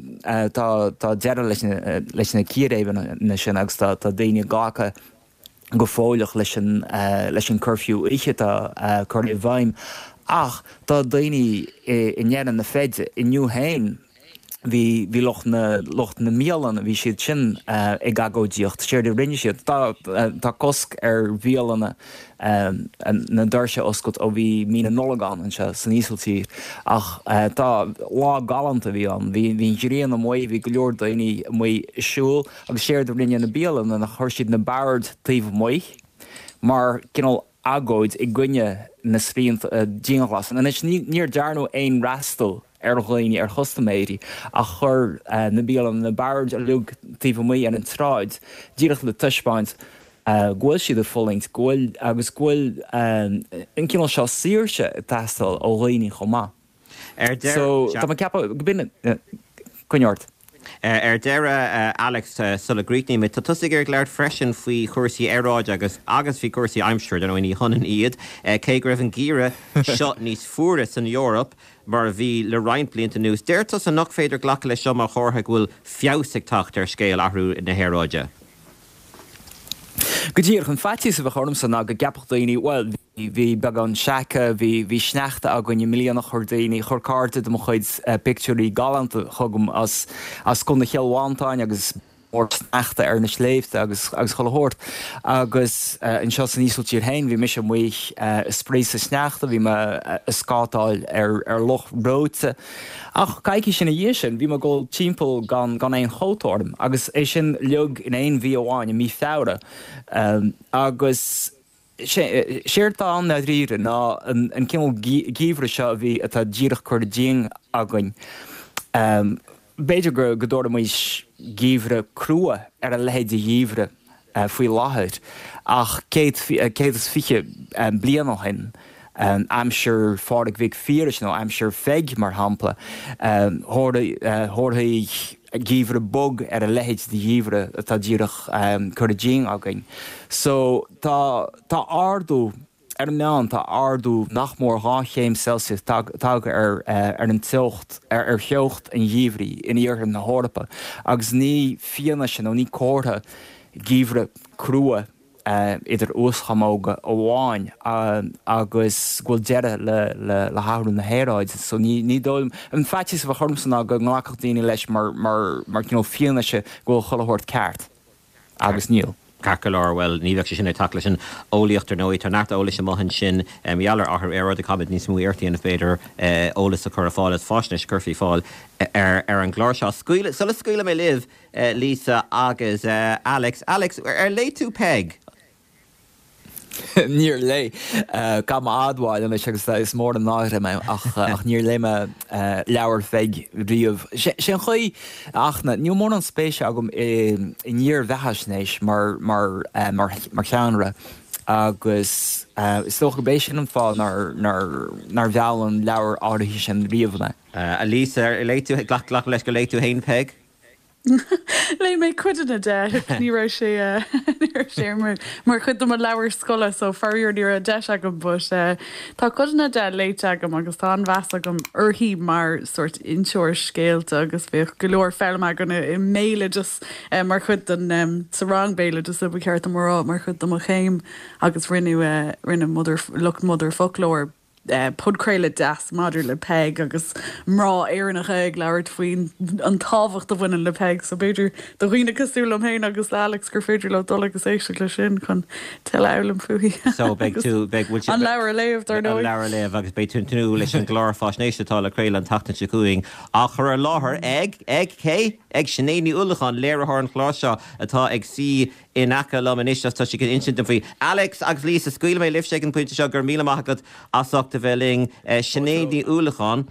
[SPEAKER 7] tá, tá deireadh leis na, leis na círéibeanna sin agus tá, tá daoine ag glacadh go fóilleach leis an leis an curfew oíche atá curtha i bhfeidhm ach tá daoine i ndeireadh na feide. Inniu féin bhí bhí lucht na lucht na mbialanna, bhí siad sin ag agóidíocht. Séard a rinne siad, tá tá cosc ar bhialanna na doirse a oscailt ó bhí mí na Nollag ann anseo san Ísiltír ach tá lá galánta a bhí ann. Bhí bhí an ghrian amuigh, bhí go leor daoine amuigh ag siúl. Agus séard a rinne na bialanna ná chuir siad na boird taobh amuigh mar cineál agóid i gcoinne na srianta dianghlasála. Anois níor dearnadh aon fhreastal ar dhaoine, ar chustaiméirí, ach chuir na bialanna na boird uilig taobh amuigh ar an tsráid díreach le taispeáint go bhfuil siad ag fulaingt, go bhfuil, agus go bhfuil an cineál seo saoirse ag teastáil ó dhaoine chomh maith.
[SPEAKER 1] Ar deireadh,
[SPEAKER 7] So, tá mé ag ceapadh go b'in, coinnigh ort.
[SPEAKER 1] Ar deireadh, Alex, sula gcríochnaímid, tá tusa ag iarraidh labhairt freisin faoi chúrsaí aeráide agus agus faoi chúrsaí aimsire, dar ndóigh ní hionann iad, cé go raibh an geimhreadh seo níos fuaire san Eoraip mar a bhí le roinnt blianta anuas. Deir tusa nach féidir glacadh leis seo mar chomhartha go bhfuil feabhas ag teacht ar scéal athrú na haeráide.
[SPEAKER 7] Go díreach, an faitíos a bheadh ormsa ná go gceapfadh daoine, bhuel, bhí beagán seaca, bhí, bhí sneachta againn i mbliana, chuir daoine, chuir cairde de mo chuid pictiúirí galánta chugam as, as Contae Chill Mhantáin agus mór sneachta ar na sléibhte agus, agus chuile shórt. Agus anseo san Ísiltír féin, bhí mise amuigh ag spraoi sa sneachta, bhí mé ag scátáil ar, ar loch reoite. Ach coicís ina dhiaidh sin, bhí mé ag dul timpeall gan gan aon chóta orm, agus é sin uilig in aon mhí amháin, i mí Feabhra. Agus séard atá ann ndáiríre ná an cineál geimhridh seo a bhí, atá díreach curtha dínn againn. B'fhéidir go dtabharfaimis geimhreadh crua ar a leithéid de gheimhreadh faoi láthair, ach 120 bliain ó shin, aimsir Phádraig Mhic Phiarais nó aimsir Pheig, mar shampla, thabharfaí geimhreadh bog ar a leithéid de gheimhreadh atá díreach curtha dínn againn. So, tá ardú. Ar an meán, tá ardú nach mór 2 chéim Celsius tagtha ar ar an teocht ar theocht an gheimhridh in iarthar na hEorpa agus ní fianaise nó ní comhartha geimhreadh crua idir uaschamóga amháin agus go bhfuil deireadh le hathrú na haeráide. So ní dóigh liom, an faitíos a bheadh ormsa ná go nglacfadh daoine leis mar mar cineál fianaise go bhfuil chuile shórt ceart. Agus níl.
[SPEAKER 1] Ceart go leor, bhuel, ní bheadh sé sin ag teacht leis an eolaíocht, ar ndóigh. Tá neart eolais amuigh ansin mar gheall ar athrú aeráide. Caithfimid níos mó iarracht a dhéanamh, b'fhéidir, eolas a chur ar fáil agus faisnéis a chur faoi fáil ar an gclár seo. Scaoil, sula scaoilfidh mé libh, Lisa agus Alex. Alex, ar léigh tú Peig?
[SPEAKER 7] Níor léigh. Caithfidh mé a admháil anois agus is mór an náire mé ach níor léigh mé leabhar Pheig riamh. Sé an chaoi, a Fhachtna, níl mórán spéise agam i ndírbheathaisnéis mar sheánra agus is dócha gurb é sin an fáth nár mheall an leabhar áirithe sin riamh mé.
[SPEAKER 1] A Lisa, ar léigh tú, glacaim leis gur léigh tú féin Peig?
[SPEAKER 8] Léigh mé codanna de. Ní raibh sé ní raibh sé mar mar chuid de mo leabhar scoile so faraor ní raibh deis agam but tá codanna de léite agam agus tá an-mheas agam uirthi mar sórt inseoir scéalta agus bhíodh go leor foghlama againn i mbéaloideas mar chuid den sa rang béaloideasa ba cheart dom a rá mar chuid de mo chéim agus rinneadh rinne Mother lucht Motherfoclóir podchraoladh deas maidir le Peig agus mná Éireannacha ag labhairt faoin an tábhacht a bhaineann le Peig so b'fhéidir do dhaoine cosúil liom féin agus le Alex gur féidir leo dul agus éisteacht leis sin chun tuilleadh a fhoghlaim fúithi.
[SPEAKER 1] So beidh tú, beidh, bhfuil
[SPEAKER 8] An leabhar a léamh, dar
[SPEAKER 1] ndóigh. An leabhar a léamh agus beidh tú ag tnúth leis an gclár faisnéise atá le craoladh an tseachtain seo chugainn á chur ar láthair ag, ag cé? Ag Sinéad Ní Uallacháin, léiritheoir an chláir seo atá ag suí in aice liom anois agus tá sí chun insint dom faoi. Alex agus Lisa, scaoilfidh mé libhse ag an bpointe seo, go raibh míle maith agat as ucht a bheith linn. Sinéad Ní Uallacháin,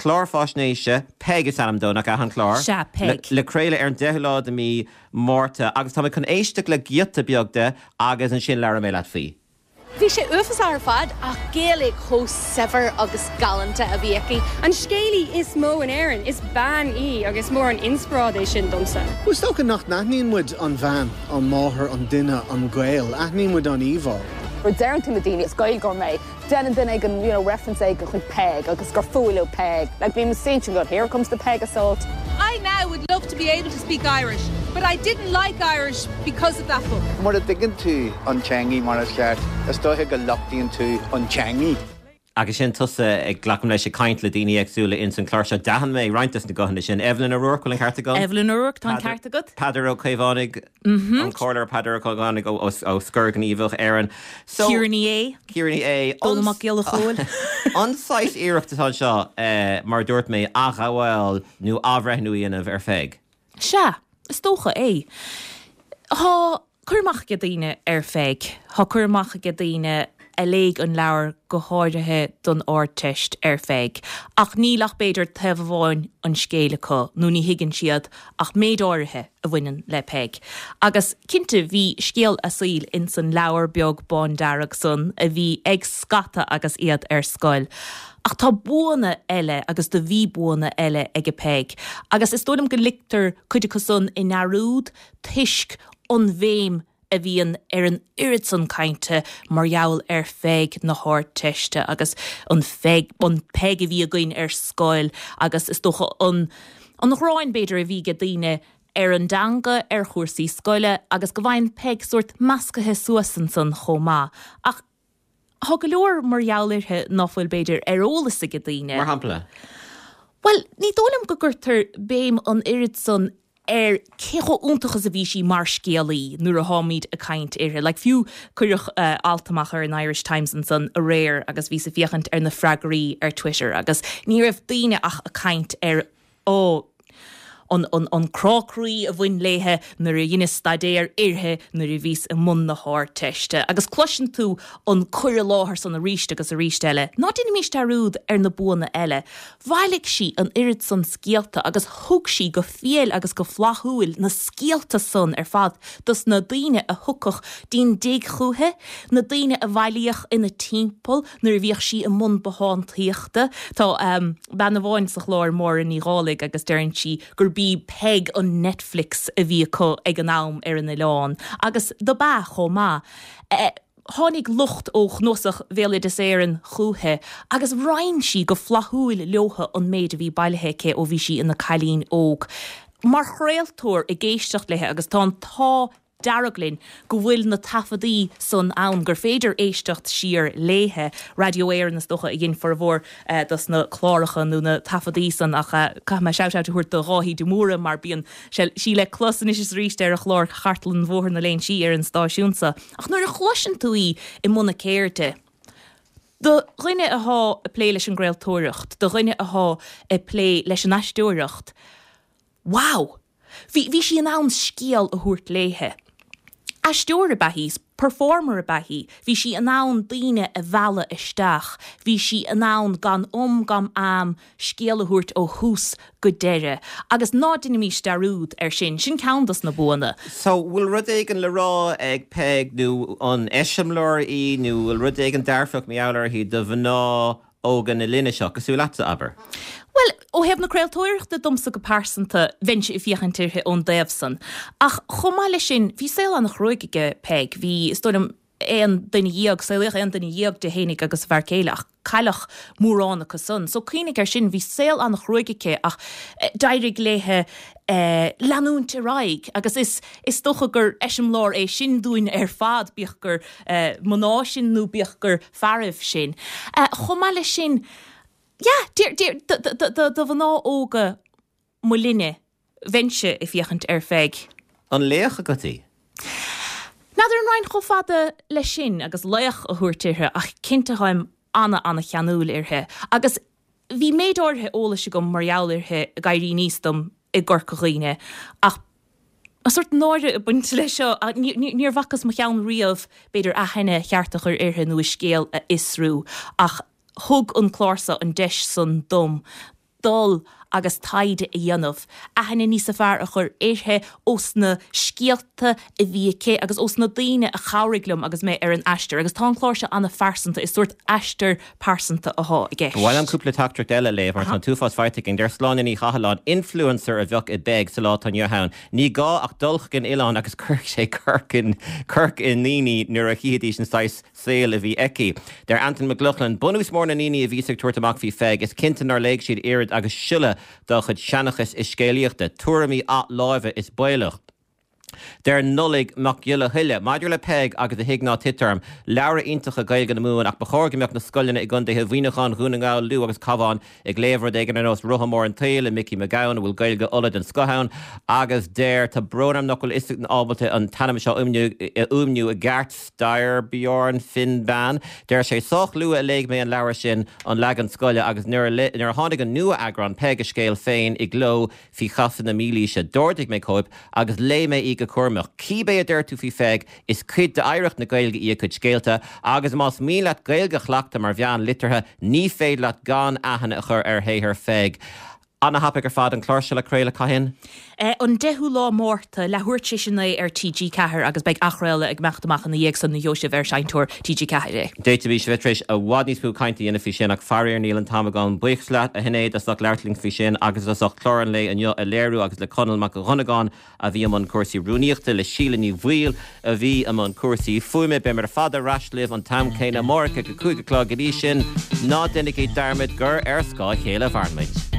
[SPEAKER 1] clár faisnéise, Peig is ainm dó, nach ea an clár?
[SPEAKER 9] Sea, Peig.
[SPEAKER 1] Le craoladh ar an 10ú lá de mí Márta agus tá mé chun éisteacht le giota beag de agus ansin labhróidh mé leat faoi.
[SPEAKER 9] Bhí sé uafásach ar fad ach Gaeilge chomh saibhir agus galánta a bhí aici.
[SPEAKER 10] An scéalaí is mó in Éirinn, is bean í agus is mór an inspioráid é sin domsa.
[SPEAKER 11] Bhuel, is dócha nach n-aithníonn muid an bhean, an máthair, an duine, an Gael. Aithníonn muid an íomhá.
[SPEAKER 12] Nuair a deireann tú le daoine, is Gaeilgeoir mé, Déanann duine éigin you know reference éigin chuig Peig agus gur fuath leo Peig. Like bím istigh ansin going here comes the Peig assault.
[SPEAKER 13] I now would love to be able to speak Irish, but I didn't like Irish because of that book.
[SPEAKER 14] Mura dtuigeann tú an teangaidh mar is ceart, is dóiche go lochtaíonn tú an teangaidh.
[SPEAKER 1] Agus sin tusa, ag, glacaim leis, ag caint le daoine éagsúla ins an chlár seo. D'aithin mé roinnt des na guthanna sin. Evelyn O'Rourke, bhfuil an ceart agam?
[SPEAKER 9] Evelyn O'Rourke, tá an ceart agat.
[SPEAKER 1] Peadar Ó Caomhánaigh, an Comhairleoir Peadar Ó Caomhánaigh ó Scor Gníomhach Éireann.
[SPEAKER 9] So, Ciara Ní É.
[SPEAKER 1] Ciara Ní É.
[SPEAKER 9] Dónall Mac Giolla Chóill.
[SPEAKER 1] An saghas iarracht atá anseo, mar a dúirt mé, athghabháil nó athbhreithniú a dhéanamh ar Pheig?
[SPEAKER 9] Sea, is dócha é. Tá cur amach age daoine ar Pheig. Tá cur amach age daoine a léigh an leabhar go háirithe don Ardteist ar Pheig. Ach níl ach b'fhéidir taobh amháin an scéil acu nó ní thuigeann siad ach méid áirithe a bhaineann le Peig. Agus cinnte bhí scéal a saoil ins an leabhar beag bándearg san a bhí ag scata agus iad ar scoil. Ach tá buanna eile agus do bhí buanna eile aige Peig. Agus is dóigh liom go ligtear cuid acu san i ndearúd toisc an bhéim a bhíonn ar an oiread san cainte mar gheall ar Pheig na hArdteiste agus an Pheig, an Peig a bhí againn ar scoil agus is dócha an, an ghráin b'fhéidir a bhí age daoine ar an dteanga, ar chúrsaí scoile agus go bhfaigheann Peig sórt meascaithe suas ansan chomh maith. Ach Tá go leor mar gheall uirthi ná fuil, b'fhéidir, ar eolas age daoine.
[SPEAKER 1] Mar shampla?
[SPEAKER 9] Bhuel, ní dóigh liom go gcuirtear béim an oiread san ar cé chomh iontach is a bhí sí mar scéalaí nuair a tháimid ag caint uirthi. Like, fiú cuireadh alt amach ar an Irish Times ansan aréir agus bhíos ag féachaint ar na freagraí ar Twitter agus ní raibh daoine ach ag caint ar Ó, an, an, an crá croí a bhain léithe nuair a dheineas staidéar uirthi nuair a bhíos i mbun na hArdteiste. Agus cloiseann tú an cur i láthair san arís agus arís eile. Ná déanaimis dearúd ar na buanna eile. Bhailigh sí an oiread san scéalta agus thug sí go fial agus go flaithiúil na scéalta san ar fad dos na daoine a thiocfadh dtí'n dtigh chúithi, na daoine a bhailíodh ina timpeall nuair a bhíodh sí i mbun bothántaíochta. Tá bean amháin sa chlár, Máire Ní Dhálaigh, agus deireann sí gurb í Peig an Netflix a bhí acu ag an am ar an oileán, agus dob ea chomh maith. Tháinig lucht ó Chnuasach Bhéaloideas Éireann chúiche agus roinn sí go flaithiúil leotha an méid a bhí bailithe aici ó bhí sí ina cailín óg. Mar chraoltóir ag éisteacht léithe agus tá an t-ádh dearg linn go bhfuil na taifeadaí san ann gur féidir éisteacht siar léithe. Raidió Éireann is dócha a dhein formhór dos na cláracha nó na taifeadaí san ach caithfidh mé shout out a thabhairt do Dháithí de Mórdha mar bíonn sí le clos anois is arís ar a chlár Chartlann Bhóthar na Léinsí ar an stáisiún so. Ach nuair a chloiseann tú í i mbun a ceirde, do dhuine athá ag plé leis an gcraoltóireacht, do dhuine athá ag plé leis an aisteoireacht, wow! Bhí, bhí sí in ann scéal a thabhairt léithe. Aisteoir ab ea í, performer ab ea í, bhí sí in ann daoine a mhealladh isteach, bhí sí in ann gan um gan am scéal a thabhairt ó thús go deireadh. Agus ná deinimís dearúd air sin, sin ceann dos na buanna.
[SPEAKER 1] So, bhfuil rud éigin le rá ag Peig nó an eiseamláir í nó bhfuil rud éigin dearfach mar gheall uirthi do mhná óga na linne seo, cosúil leatsa, abair?
[SPEAKER 9] Bhuel, ó thaobh na craoltóireachta domsa go pearsanta, bheinnse ag féachaint uirthi ón dtaobh san. Ach chomh maith leis sin, bhí saol an-chruaidh aige Peig. Bhí, is dóigh liom, aon duine dhéag, saolaíodh aon duine dhéag di fhéinig agus a fear céile ach cailleadh mórán acu san. So cuimhnigh air sin, bhí saol an-chruaidh aici ach d'éirigh léithe leanúint ar aghaidh agus is, is dócha gur eiseamláir é sin dúinn ar fad, bíodh gur mná sinn nó bíodh gur fearaibh sinn. Chomh maith leis sin, yeah, do mhná óga mo linne, bheinnse ag féachaint ar Pheig.
[SPEAKER 1] An laoch agat í?
[SPEAKER 9] N'fheadar an raghainn chomh fada leis sin agus laoch a thabhairt uirthi ach cinnte táim ana-ana-cheanúil uirthi. Agus bhí méid áirithe eolais agam mar gheall uirthi ag éirí aníos dom i gCorca Dhuibhne ach tá sórt náire ag baint leis seo, níor bhacas mo cheann riamh b'fhéidir aithne cheart a chur uirthi nó a scéal a fhiosrú ach thug an clár seo an deis san dom dul agus taighde a dhéanamh, aithne níosa fearr a chur uirthi ós na scéalta a bhí aici agus ós na daoine a chabhraigh liom agus mé ar an aistear agus tá an clár seo an-phearsanta, is sórt aistear pearsanta athá i gceist.
[SPEAKER 1] Ba mhaith liom cúpla teachtaireacht eile a léamh mar tá an t-uafás faighte againn. Deir Sláine Ní Chathalláin, Influencer a bheadh i bPeig sa lá atá inniu ann. Ní gá ach dul chuig an oileán agus cuirfidh sé corc i ndaoine nuair a chífidís an saghas saoil a bhí aici. Deir Antain Mac Lochlainn, Bunús mór na ndaoine a bhíos ag tabhairt amach faoi Pheig, is cinnte nár léigh siad oiread agus siolla dá chuid seanchais is scéalaíochta. Tuairimí athláimhe is baolach. Deir Nollaig Mac Giolla Thuile, Maidir le Peig agus A Thig Ná Tit Orm, leabhra iontacha Gaeilge na Mumhan ach ba chóir go mbeadh na scoileanna i gcontaetha Mhuineacháin, Dhún na nGall, Lú agus Cabhán ag léamh rud éigin ar nós Rotha Mór an tSaoil le Micí Mac Gabhann, a bhfuil Gaeilge Uladh den scoth ann, agus deir, tá brón orm nach bhfuil fhios ábalta an t-ainm seo a fhuaimniú i gceart, Styrbjorn Finnbean. Deir sé, Sách luath a léigh mé an leabhar sin, an leagan scoile, agus nuair a tháinig an nua-eagrán, Peig a Scéal Féin, i gcló, Faoi chasadh na mílaoise, d'ordaigh mé cóip agus léigh mé í go cúramach. Cíbé a deir tú faoi Pheig, is cuid d'oidhreacht na Gaeilge í a cuid scéalta, agus más mian leat Gaeilge a chleachtadh mar mheán liteartha, ní féidir leat gan aithne a chur ar shaothar Pheig. Ana-thapaidh ar fad an clár seo le craoladh, cathain?
[SPEAKER 9] An 10ú lá Márta, leathuair tar éis a 9 ar TG4 agus beidh athchraoladh ag imeacht amach ina dhiaidh san nó gheobhaidh sibh ar Seinnteoir TG4 é.
[SPEAKER 1] D'fhéadfaimis a bheith tar éis i bhfad níos mó cainte a dhéanamh faoi sin ach faraor níl an t-am againn. Buíochas leat, a Shinéad, as ucht labhairt linn faoi sin agus as ucht clár an lae inniu a léiriú agus le Conall Mac Dhonnagáin a bhí i mbun cúrsaí rúnaíochta, le Síle Ní Bhaoill a bhí i mbun cúrsaí fuaime. Beimid ar fad ar ais libh an t-am céanna amárach ag a 5 a chlog. Go dtí sin, ná déanaigí dearmad gur ar scáth a chéile a mhaireann muid.